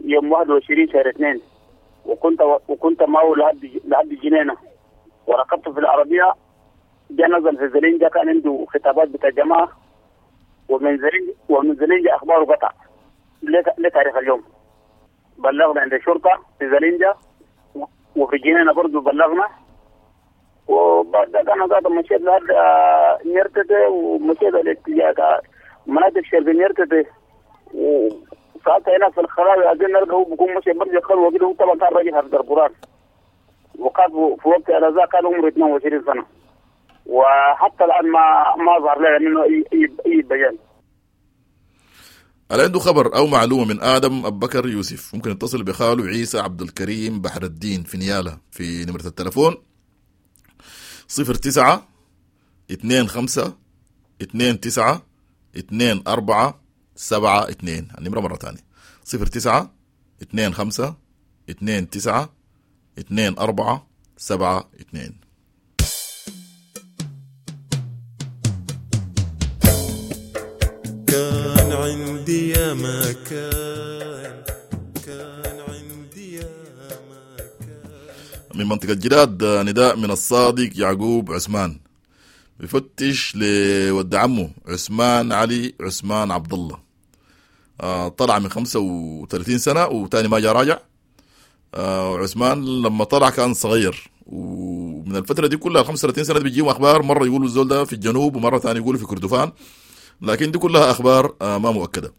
يوم 21 شهر 2، وكنت معه لحد الجنينة، وركبت في العربية. جاء نزل في زلينجا، كان عنده خطابات بتاع جماعة، ومن زلينجا أخباره قطع لتاريخ اليوم. بلغنا عند الشرطة في زلينجا وفي الجنينة برضو بلغنا. وبعد أنا قاعد مشيت لحد نيرتتي، ومشيت الاتجاه مناطق شرق نيرتتي، وساعتها هنا في الخلاوي عايزين نلقى هو بيكون مشي برجع خلوة كده. هو طبعا كان راجل حافظ القرآن، وكان في وقت ذا كان عمره 22 سنة، وحتى الآن ما ظهر لنا منه أي بيان. اللي عنده خبر أو معلومة من آدم أبو بكر يوسف ممكن يتصل بخاله عيسى عبد الكريم بحر الدين في نيالة في نمرة التلفون 09 25 29 24 72. النمرة مرة تانية 09 25 29 24 72. كان عندي يا ما كان، كان عندي يا ما كان. من منطقة جداد نداء من الصادق يعقوب عثمان، بفتش لود عمه عثمان علي عثمان عبد الله. طلع من 35 سنة وتاني ما جا راجع. عثمان لما طلع كان صغير، ومن الفترة دي كلها 35 سنة بيجيهم أخبار، مرة يقولوا الزول ده في الجنوب ومرة ثانية يقولوا في كردفان، لكن دي كلها أخبار ما مؤكدة.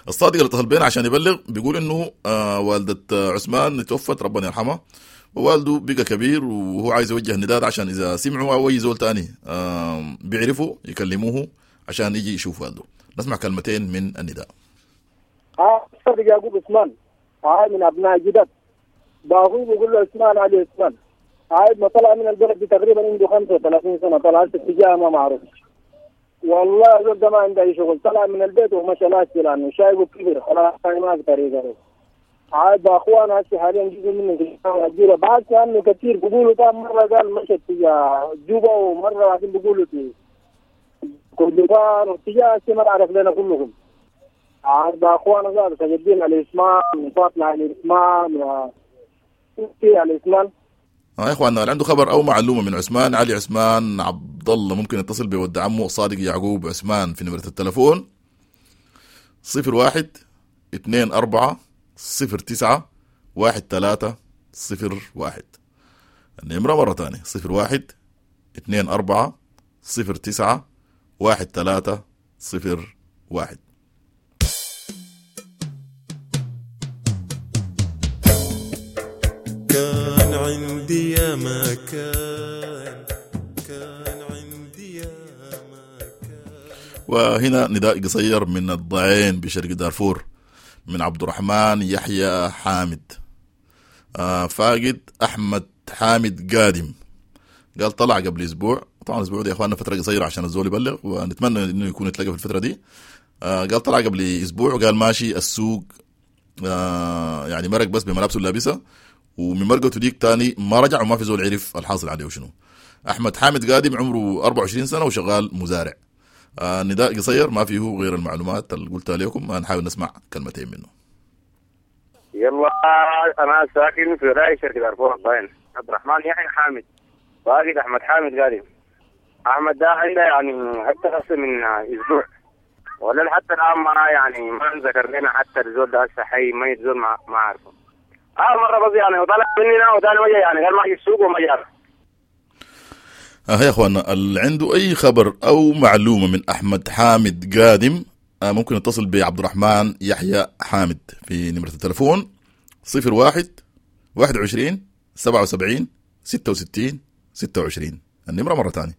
الصادق اللي اتصل بينا عشان يبلغ بيقول إنه والدة عثمان توفت ربنا يرحمها، ووالده بقى كبير وهو عايز يوجه النداء عشان إذا سمعوا أو أي زول تاني بيعرفوا يكلموه عشان يجي يشوف والده. نسمع كلمتين من النداء. الصادق يعقوب عثمان من أبناء جدد، باخوه بيقول له عثمان علي عثمان. عايد ما طلع من البلد دي تقريبا عنده 35 سنة، طلع اتجاه ما معروف. والله زول ده ما عنده أي شغل، طلع من البيت ومشى ناس لأنه شايبه كبير خلاص ما في طريقة. عاد باخوانا هسه حاليا جزء منهم في الجيرة، بعد عنه كثير بيقولوا كان مرة قال مشى اتجاه جوبا، ومرة بعدين بيقولوا في كردفان واتجاه هسه ما نعرف لنا كلهم. عاد باخوانا قالوا سجدين على الإسمان وفاطمة على الإسمان وفي على الإسمان. يا اخواننا اللي عنده خبر او معلومه من عثمان علي عثمان عبد الله ممكن يتصل بود عمه صادق يعقوب عثمان في نمره التلفون 01 24 09 13 01. النمره مره ثانيه 01 24 09 13 01. كان عندي يا ما كان، كان عندي يا ما كان. وهنا نداء قصير من الضعين بشرق دارفور من عبد الرحمن يحيى حامد. فاقد أحمد حامد قادم، قال طلع قبل أسبوع. طبعا الأسبوع ده يا إخواننا فترة قصيرة عشان الزول يبلغ، ونتمنى إنه يكون يتلاقى في الفترة دي. قال طلع قبل أسبوع وقال ماشي السوق، يعني مرق بس بملابسه اللابسة، ومن مرقته ديك تاني ما رجع وما في زول عرف الحاصل عليه وشنو. أحمد حامد قادم عمره 24 سنة وشغال مزارع. نداء قصير ما فيه غير المعلومات اللي قلتها لكم، نحاول نسمع كلمتين منه. يلا أنا ساكن في ولاية شرق دارفور الضعين، عبد الرحمن يحيى حامد، باقي أحمد حامد قادم. أحمد ده عنده يعني حتى من أسبوع ولا حتى الآن ما يعني ما ذكر لنا حتى الزول ده هسه حي ميت، زول ما عارفه. مرة بس يعني وطلع مننا وثاني وجه يعني قال ما يجي السوق وما جاب. يا اخوانا اللي عنده اي خبر او معلومه من احمد حامد قادم ممكن يتصل بعبد الرحمن يحيى حامد في نمره التلفون 01 21 77 66 26. النمره مره ثانيه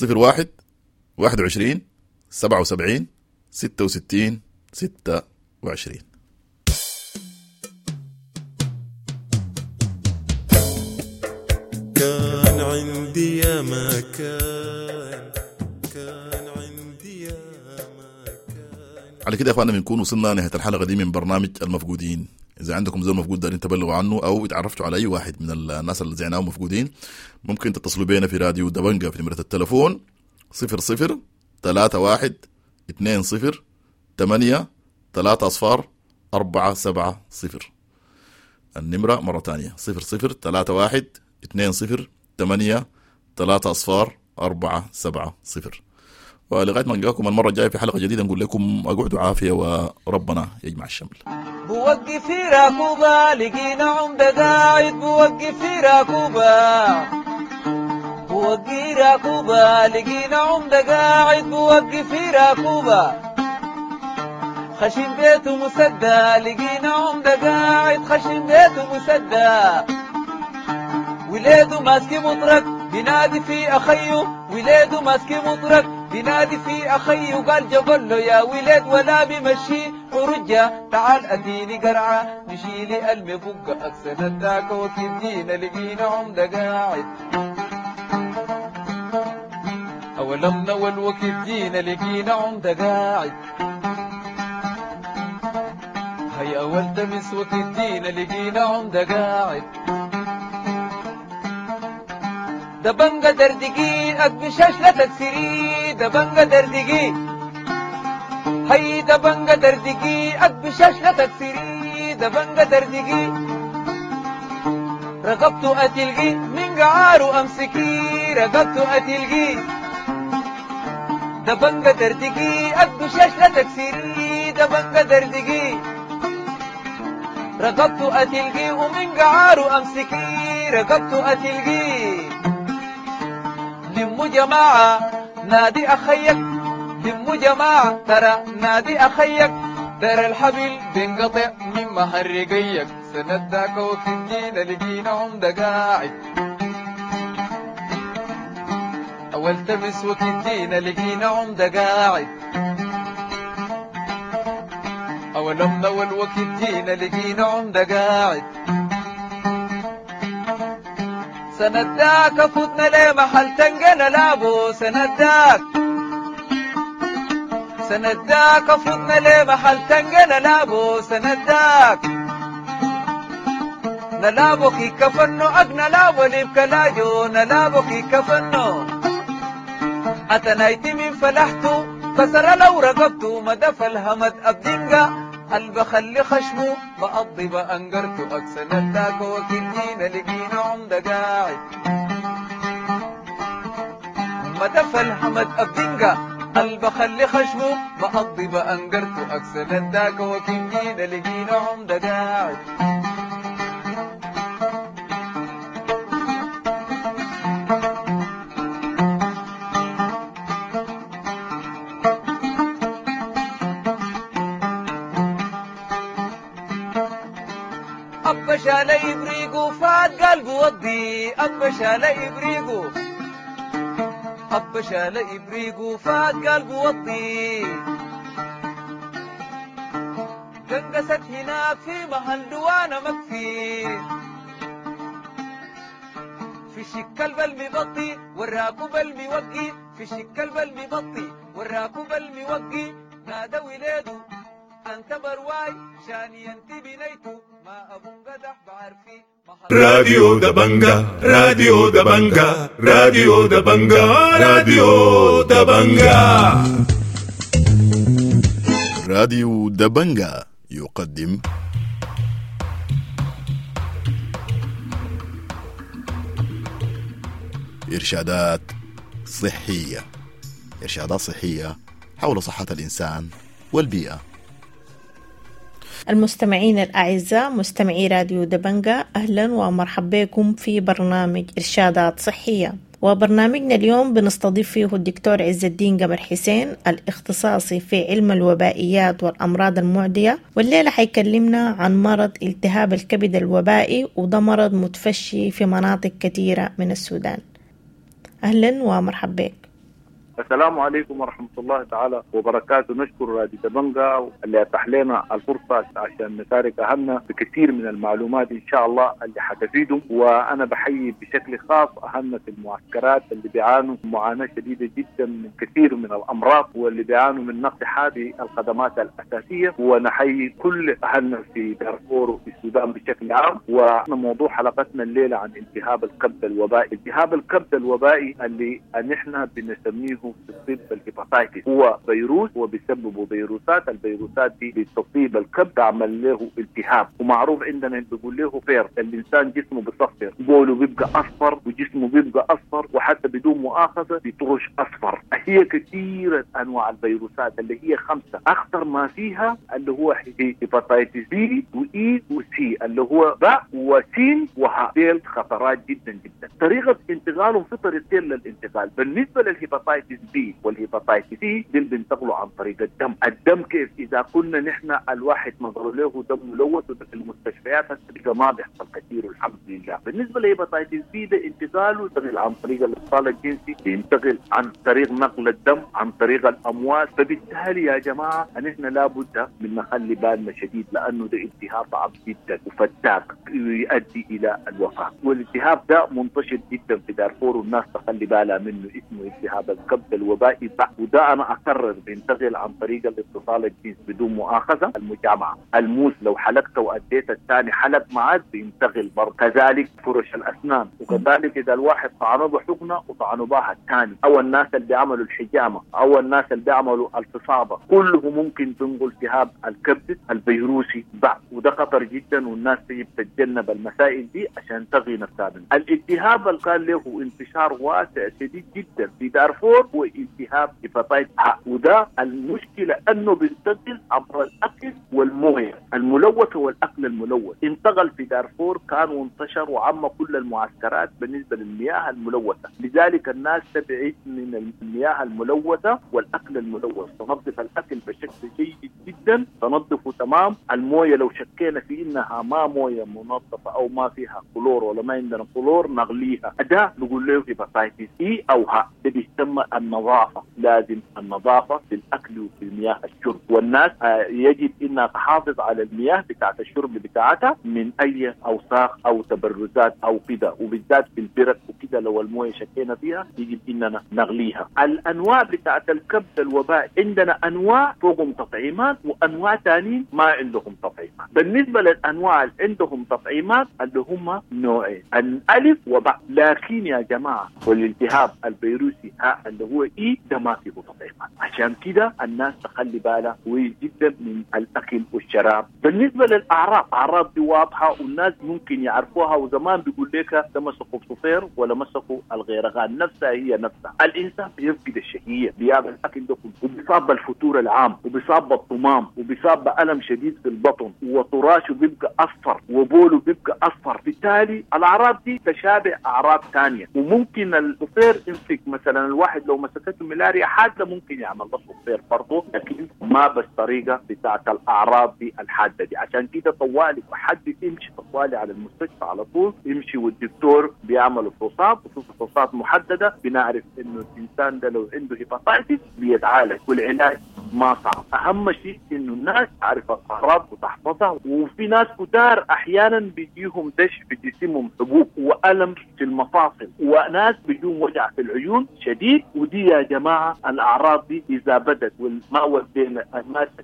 01 21 77 66 26. كان عندي يا ما كان، كان عندي يا ما كان. على كده يا اخواننا بنكون وصلنا نهاية الحلقة دي من برنامج المفقودين. إذا عندكم زول مفقود دارين تبلغوا عنه أو اتعرفتوا على أي واحد من الناس اللي زعناهم مفقودين، ممكن تتصلوا بينا في راديو دبنجة في نمرة التلفون 00 31 20 8 3 0 4 7 0. النمرة مرة ثانية 00 31 20 8 3 0 4 7 0. ولغاية ما نلقاكم المرة الجاية في حلقة جديدة نقول لكم اقعدوا عافية وربنا يجمع الشمل. بوقف في راكوبة لقينا عمدة قاعد، بوقف في راكوبة، بوقف راكوبة لقينا عمدة قاعد، بوقف في راكوبة خشم بيته مسدى، لقينا عمدة قاعد خشم بيته مسدى، وليده ماسك مطرق بينادي في أخيه، وليده ماسك مطرق بينادي في أخيه، قال جبل له يا ولد ولا بمشي ورجة، تعال أديني قرعة نشيلي المبقى أكسن الداك وكدينا لقينا عمدة قاعد. أولمنا والوقت جينا لقينا عمدة قاعد. هيا أول تمس وقت جينا لقينا عمدة قاعد. دبنجة دردقي أقبشاش لا تكسري، دبنجة دردقي هي دبنجة دردقي أقبشاش لا تكسري، دبنجة دردقي رقبته أتلقي من قعاره أمسكي، رقبته أتلقي دبنجة دردقي أقبشاش لا تكسري، دبنجة دردقي رقبته أتلقي ومن قعاره أمسكي، رقبته أتلقي. لمو جماعة نادي أخيك، لمو جماعة ترى نادي أخيك، ترى الحبل بينقطع من مهرقيك. سنداك وكدينا لقينا عمدة قاعد. أول تمس وكدينا لقينا عمدة قاعد. أولمنا والوكدينا لقينا عمدة قاعد. سنداك فتنا ليه محل تنقنا لابو، سنداك سنداك فتنا ليه محل تنقنا لابو، سنداك نلابو كي كفنو أقنا لابو لبكلاجو، نلابو كي كفنو أتنايتي من فلحتو كسر لو رقبتو مدف الهمد أبدنقا البخلي خشمو بقضي بأنقرتو. أكسنداك وكدينا لقينا عمدة قاعد. مدف الحمد أبدنقا البخلي خشمو بقضي بأنقرتو. أكسنداك وكدينا لقينا عمدة قاعد. أبا شال إبريقو فات قلبه وضي، أبا شال إبريقو أبا شال إبريقو فات قلبه وضي. قنقست هناك في محل دوانا مكفي، في شكل المبطي والراكب الموقي، في شكل المبطي والراكب الموقي. نادى ولادو أنت برواي شاني أنت بنيتو ما أبو قدح بعرفي. راديو دبنجا، راديو دبنجا، راديو دبنجا، راديو دبنجا. راديو دبنجا يقدم إرشادات صحية، إرشادات صحية حول صحة الإنسان والبيئة. المستمعين الأعزاء مستمعي راديو دبنجا، أهلا ومرحبا بكم في برنامج إرشادات صحية. وبرنامجنا اليوم بنستضيف فيه الدكتور عز الدين قمر حسين الاختصاصي في علم الوبائيات والأمراض المعدية، والليلة حيكلمنا عن مرض التهاب الكبد الوبائي، وده مرض متفشي في مناطق كثيرة من السودان. أهلا ومرحبا بك. السلام عليكم ورحمة الله تعالى وبركاته. نشكر راديو دبنجا اللي أتاح لنا الفرصة عشان نشارك أهلنا بكثير من المعلومات إن شاء الله اللي حتفيدهم. وأنا بحيي بشكل خاص أهلنا في المعسكرات اللي بيعانوا معاناة شديدة جدا من كثير من الأمراض واللي بيعانوا من نقص هذه الخدمات الأساسية، ونحيي كل أهلنا في دارفور وفي السودان بشكل عام. وموضوع حلقتنا الليلة عن التهاب الكبد الوبائي. التهاب الكبد الوبائي اللي نحن بنسميه في الطب ال hepatitis، هو فيروس وبيسببه فيروسات. الفيروسات دي بتصيب الكبد تعمل له التهاب، ومعروف عندنا بيقول له فير، الانسان جسمه بيصفر، بوله بيبقى اصفر وجسمه بيبقى اصفر، وحتى بدون مؤاخذه بيطرش اصفر. هي كثيره انواع الفيروسات اللي هي 5، اخطر ما فيها اللي هو hepatitis B و E و C اللي هو باء وسين وهاء، ديل خطرات جدا جدا. طريقه انتقالهم في طريقتين للانتقال. بالنسبه لل hepatitis B وال hepatitis C دي بينتقلوا عن طريق الدم. الدم كيف؟ اذا كنا نحن الواحد نظر له دم ملوث، وده في المستشفيات ما بيحصل كثير والحمد لله. الى. بالنسبة ل hepatitis B ده انتقاله ينتقل عن طريق الاتصال الجنسي، ينتقل عن طريق نقل الدم، عن طريق الامواس. فبالتالي يا جماعة نحن لابد من نخلي بالنا شديد، لانه ده التهاب صعب جدا وفتاك يؤدي الى الوفاة، والالتهاب ده منتشر جدا في دارفور والناس تخلي بالها منه، اسمه التهاب الكبد الوبائي. وده انا اكرر بينتقل عن طريق الاتصال الجنسي بدون مؤاخذة، المجامعه، الموس لو حلقت واديت الثاني حلق معك بينتقل برضه، كذلك فرش الاسنان، وكذلك اذا الواحد طعنه بحقنه وطعنه بها الثاني، او الناس اللي بيعملوا الحجامة او الناس اللي بيعملوا الفصابه، كله ممكن تنقل التهاب الكبد الفيروسي بعد، وده خطر جدا والناس تجب تتجنب المسائل دي عشان تغي نفسها منه. الالتهاب اللي كان له انتشار واسع شديد جدا في دارفور هو التهاب hepatitis ه، وده المشكلة انه بينتقل عبر الاكل والمويه الملوثة والاكل الملوث. انتقل في دارفور كان وانتشر وعم كل المعسكرات بالنسبة للمياه الملوثة، لذلك الناس تبعد من المياه الملوثة والاكل الملوث، تنظف الاكل بشكل جيد جدا، تنظفه تمام. المويه لو شكينا في انها ما مويه منظفه او ما فيها كلور ولا ما عندنا كلور نغليها، ده نقول له hepatitis E او ه. ده بيسمى النظافة، لازم النظافة في الاكل وفي المياه الشرب، والناس يجب انها تحافظ على المياه بتاعت الشرب بتاعتها من اي اوساخ او تبرزات او كده، وبالذات في البرك وكده لو المويه شكينا فيها يجب اننا نغليها. الانواع بتاعت الكبد الوبائي عندنا انواع فوقهم تطعيمات وانواع ثانيين ما عندهم تطعيمات. بالنسبة للانواع اللي عندهم تطعيمات اللي هم نوعين، الالف وباء. لكن يا جماعة والالتهاب الفيروسي ها اللي هو E ده ما فيه تطعيمات، عشان كده الناس تخلي بالها كويس جدا من الاكل والشراب. بالنسبة للاعراض، اعراض دي واضحة والناس ممكن يعرفوها، وزمان بيقول لك ده مسكوا بصفير ولا مسكوا الغيرغان، نفسها هي نفسها. الانسان بيفقد الشهية، بياكل الاكل ده كله، وبيصاب بالفتور العام، وبيصاب بالطمام، وبيصاب بألم شديد في البطن، وطراشه بيبقى اصفر، وبوله بيبقى اصفر. بالتالي الاعراض دي تشابه اعراض ثانية، وممكن الصفير يمسك مثلا الواحد لو مسكته ملاريا حادة ممكن يعمل له صفير برضه، لكن ما بالطريقة بتاعت الاعراض دي الحادة دي. عشان كده طوالي حد يمشي طوالي على المستشفى على طول يمشي، والدكتور بيعمل فحوصات، وفي فحوصات محددة بنعرف انه الانسان ده لو عنده hepatitis بيتعالج، والعلاج ما صعب. اهم شيء انه الناس تعرف الاعراض وتحفظها. وفي ناس كتار احيانا بيجيهم دش في جسمهم، حبوب والم في المفاصل، وناس بيجيهم وجع في العيون شديد. ودي يا جماعة الاعراض دي اذا بدت وما ودينا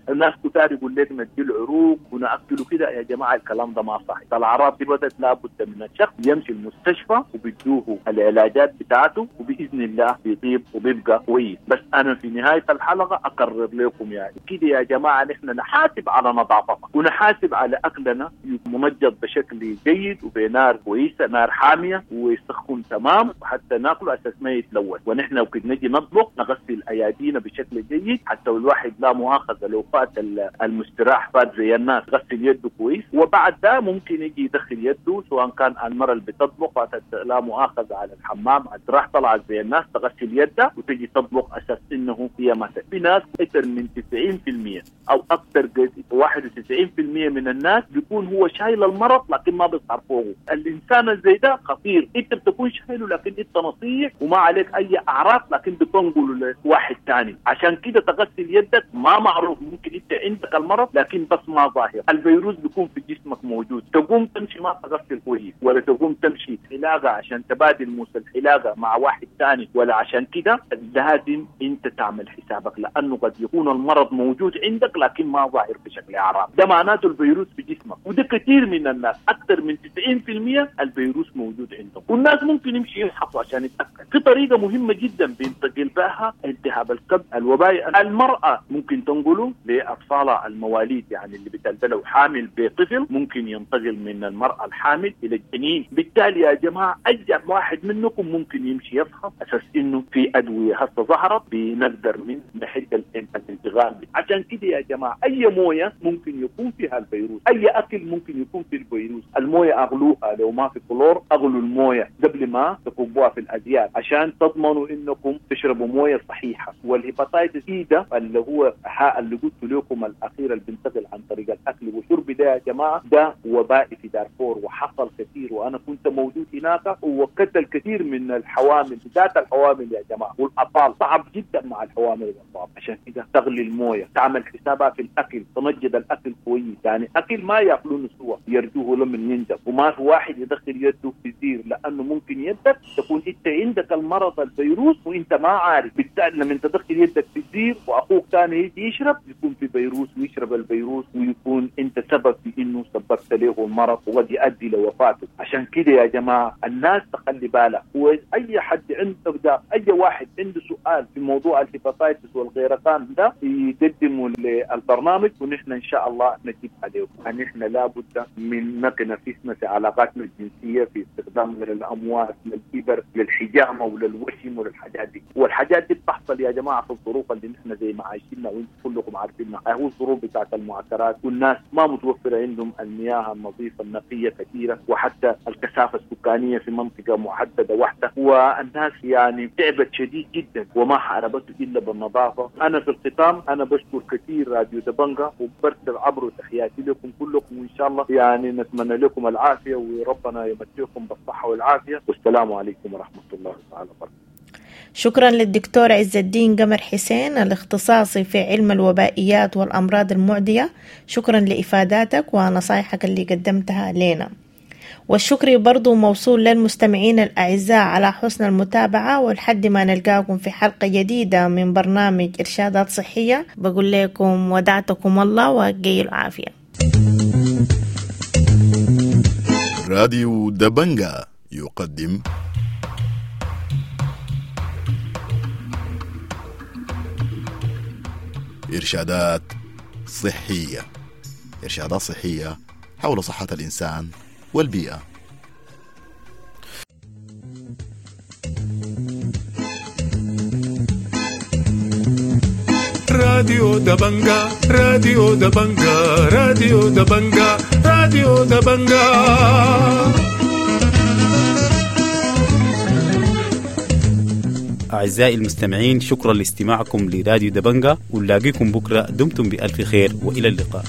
الناس كتار يقول لك ندي العروق وناكله كده، يا جماعة الكلام ده ما صح. الاعراض دي بدت لابد من الشخص يمشي المستشفى وبيدوه العلاجات بتاعته، وباذن الله بيطيب وبيبقى كويس. بس انا في نهاية الحلقة اكرر لكم يعني كده يا جماعة نحن نحاسب على نظافتنا ونحاسب على اكلنا منجد بشكل جيد وبنار كويسة، نار حامية ويسخن تمام وحتى ناكله اساس ما يتلوث. ونحن وقت نجي نطبخ نغسل ايادينا بشكل جيد، حتى الواحد لا مؤاخذة لو فات المستراح فات زي الناس غسل يده كويس، وبعد ده ممكن يجي يدخل يده سواء كان المرة اللي بتطبخ فاتت لا مؤاخذة على الحمام راح طلعت زي الناس تغسل يدها وتجي تطبخ اساس انه هي ما. في ناس اكثر من 90% او اكثر 91% من الناس بيكون هو شايل المرض لكن ما بيظهر فوقه. الانسان زي ده خطير، انت بتكون شايله لكن انت نصيح وما عليك اي اعراض، لكن بتنقله لواحد ثاني. عشان كده تغسل يدك، ما معروف ممكن انت عندك المرض لكن بس ما ظاهر، الفيروس بيكون في جسمك موجود. تقوم تمشي ما تغسل كويس، ولا تقوم تمشي حلاقه عشان تبادل موس الحلاقة مع واحد ثاني، ولا عشان كده لازم انت تعمل حسابك، لانه قد يكون المرض موجود عندك لكن ما ظاهر بشكل اعراض. ده معناته الفيروس في جسمك، وده كثير من الناس اكثر من 90% الفيروس موجود عندهم، والناس ممكن يمشي يفحصوا عشان يتاكد. في طريقه مهمة جدا بينتقل بها التهاب الكبد الوبائي، المراة ممكن تنقله لاطفالها المواليد، يعني اللي بتلدلو حامل بطفل ممكن ينتقل من المراة الحامل الى الجنين. بالتالي يا جماعة اي واحد منكم ممكن يمشي يفحص اساس انه في ادوية هسه ظهرت بنقدر من نحد الانتقال. عشان كده يا جماعة اي مويه ممكن يكون فيها الفيروس، اي اكل ممكن يكون فيه الفيروس. المويه اغلوها لو ما في كلور اغلوا المويه. المويه قبل ما تكبوها في الازيار عشان تضمنوا انكم تشربوا مويه صحيحه. وال hepatitis E ده اللي هو اللي قلت لكم الاخير اللي بينتقل عن طريق الاكل والشرب ده يا جماعة، ده وبائي في دارفور وحصل كثير، وانا كنت موجود هناك وقتل كثير من الحوامل، بالذات الحوامل يا جماعة والاطفال، صعب جدا مع الحوامل والاطفال. عشان كده تغلي المويه، تعمل حسابها في الاكل، تنجد الاكل كويس، يعني اكل ما ياكلونه سوا، يرجوه لمن ينجب، وما في واحد يدخل يده في الزير، لانه ممكن يدك تكون انت عندك المرض الفيروس وانت ما عارف، بالتالي لما تدخل يدك في الزير واخوك ثاني يجي يشرب يكون في فيروس ويشرب الفيروس ويكون انت سبب في انه سببت له المرض وقد يؤدي لوفاته. عشان كده يا جماعة الناس تخلي بالها، واي حد عنده ده، اي واحد عنده سؤال في موضوع ال hepatitis والغيرقان ده يقدمه للبرنامج ونحن ان شاء الله نجيب عليه. نحن لابد من نقي نفسنا في علاقاتنا الجنسية، في استخدامنا للامواس، للإبر، للحجامه وللوشم وللحاجات دي، والحاجات دي بتحصل يا جماعة في الظروف اللي نحن زي ما عايشينها وانتم كلكم عارفينها، هو الظروف بتاعت المعسكرات والناس ما متوفرة عندهم المياه النظيفة النقية كثيرة، وحتى الكثافة السكانية في منطقة محددة واحدة، والناس يعني تعبت شديد جدا وما حاربته الا بالنظافة. انا في الختام انا بشكر كثير راديو دبنجا وبرسل عبره تحياتي لكم كلكم، وان شاء الله يعني نتمنى لكم العافية وربنا يمتعكم بالصحة والعافية، والسلام عليكم ورحمة الله تعالى وبركاته. شكرا للدكتور عز الدين قمر حسين الاختصاصي في علم الوبائيات والأمراض المعدية، شكرا لإفاداتك ونصايحك اللي قدمتها لنا. والشكر برضو موصول للمستمعين الأعزاء على حسن المتابعة، ولحد ما نلقاكم في حلقة جديدة من برنامج إرشادات صحية بقول لكم ودعتكم الله وقيل العافية. راديو دبنجا يقدم إرشادات صحية، إرشادات صحية حول صحة الإنسان والبيئة. راديو دبنجا، راديو دبنجا، راديو دبنجا، راديو دبنجا. أعزائي المستمعين، شكرا لاستماعكم لراديو دبنجا، ونلاقيكم بكرة. دمتم بألف خير وإلى اللقاء.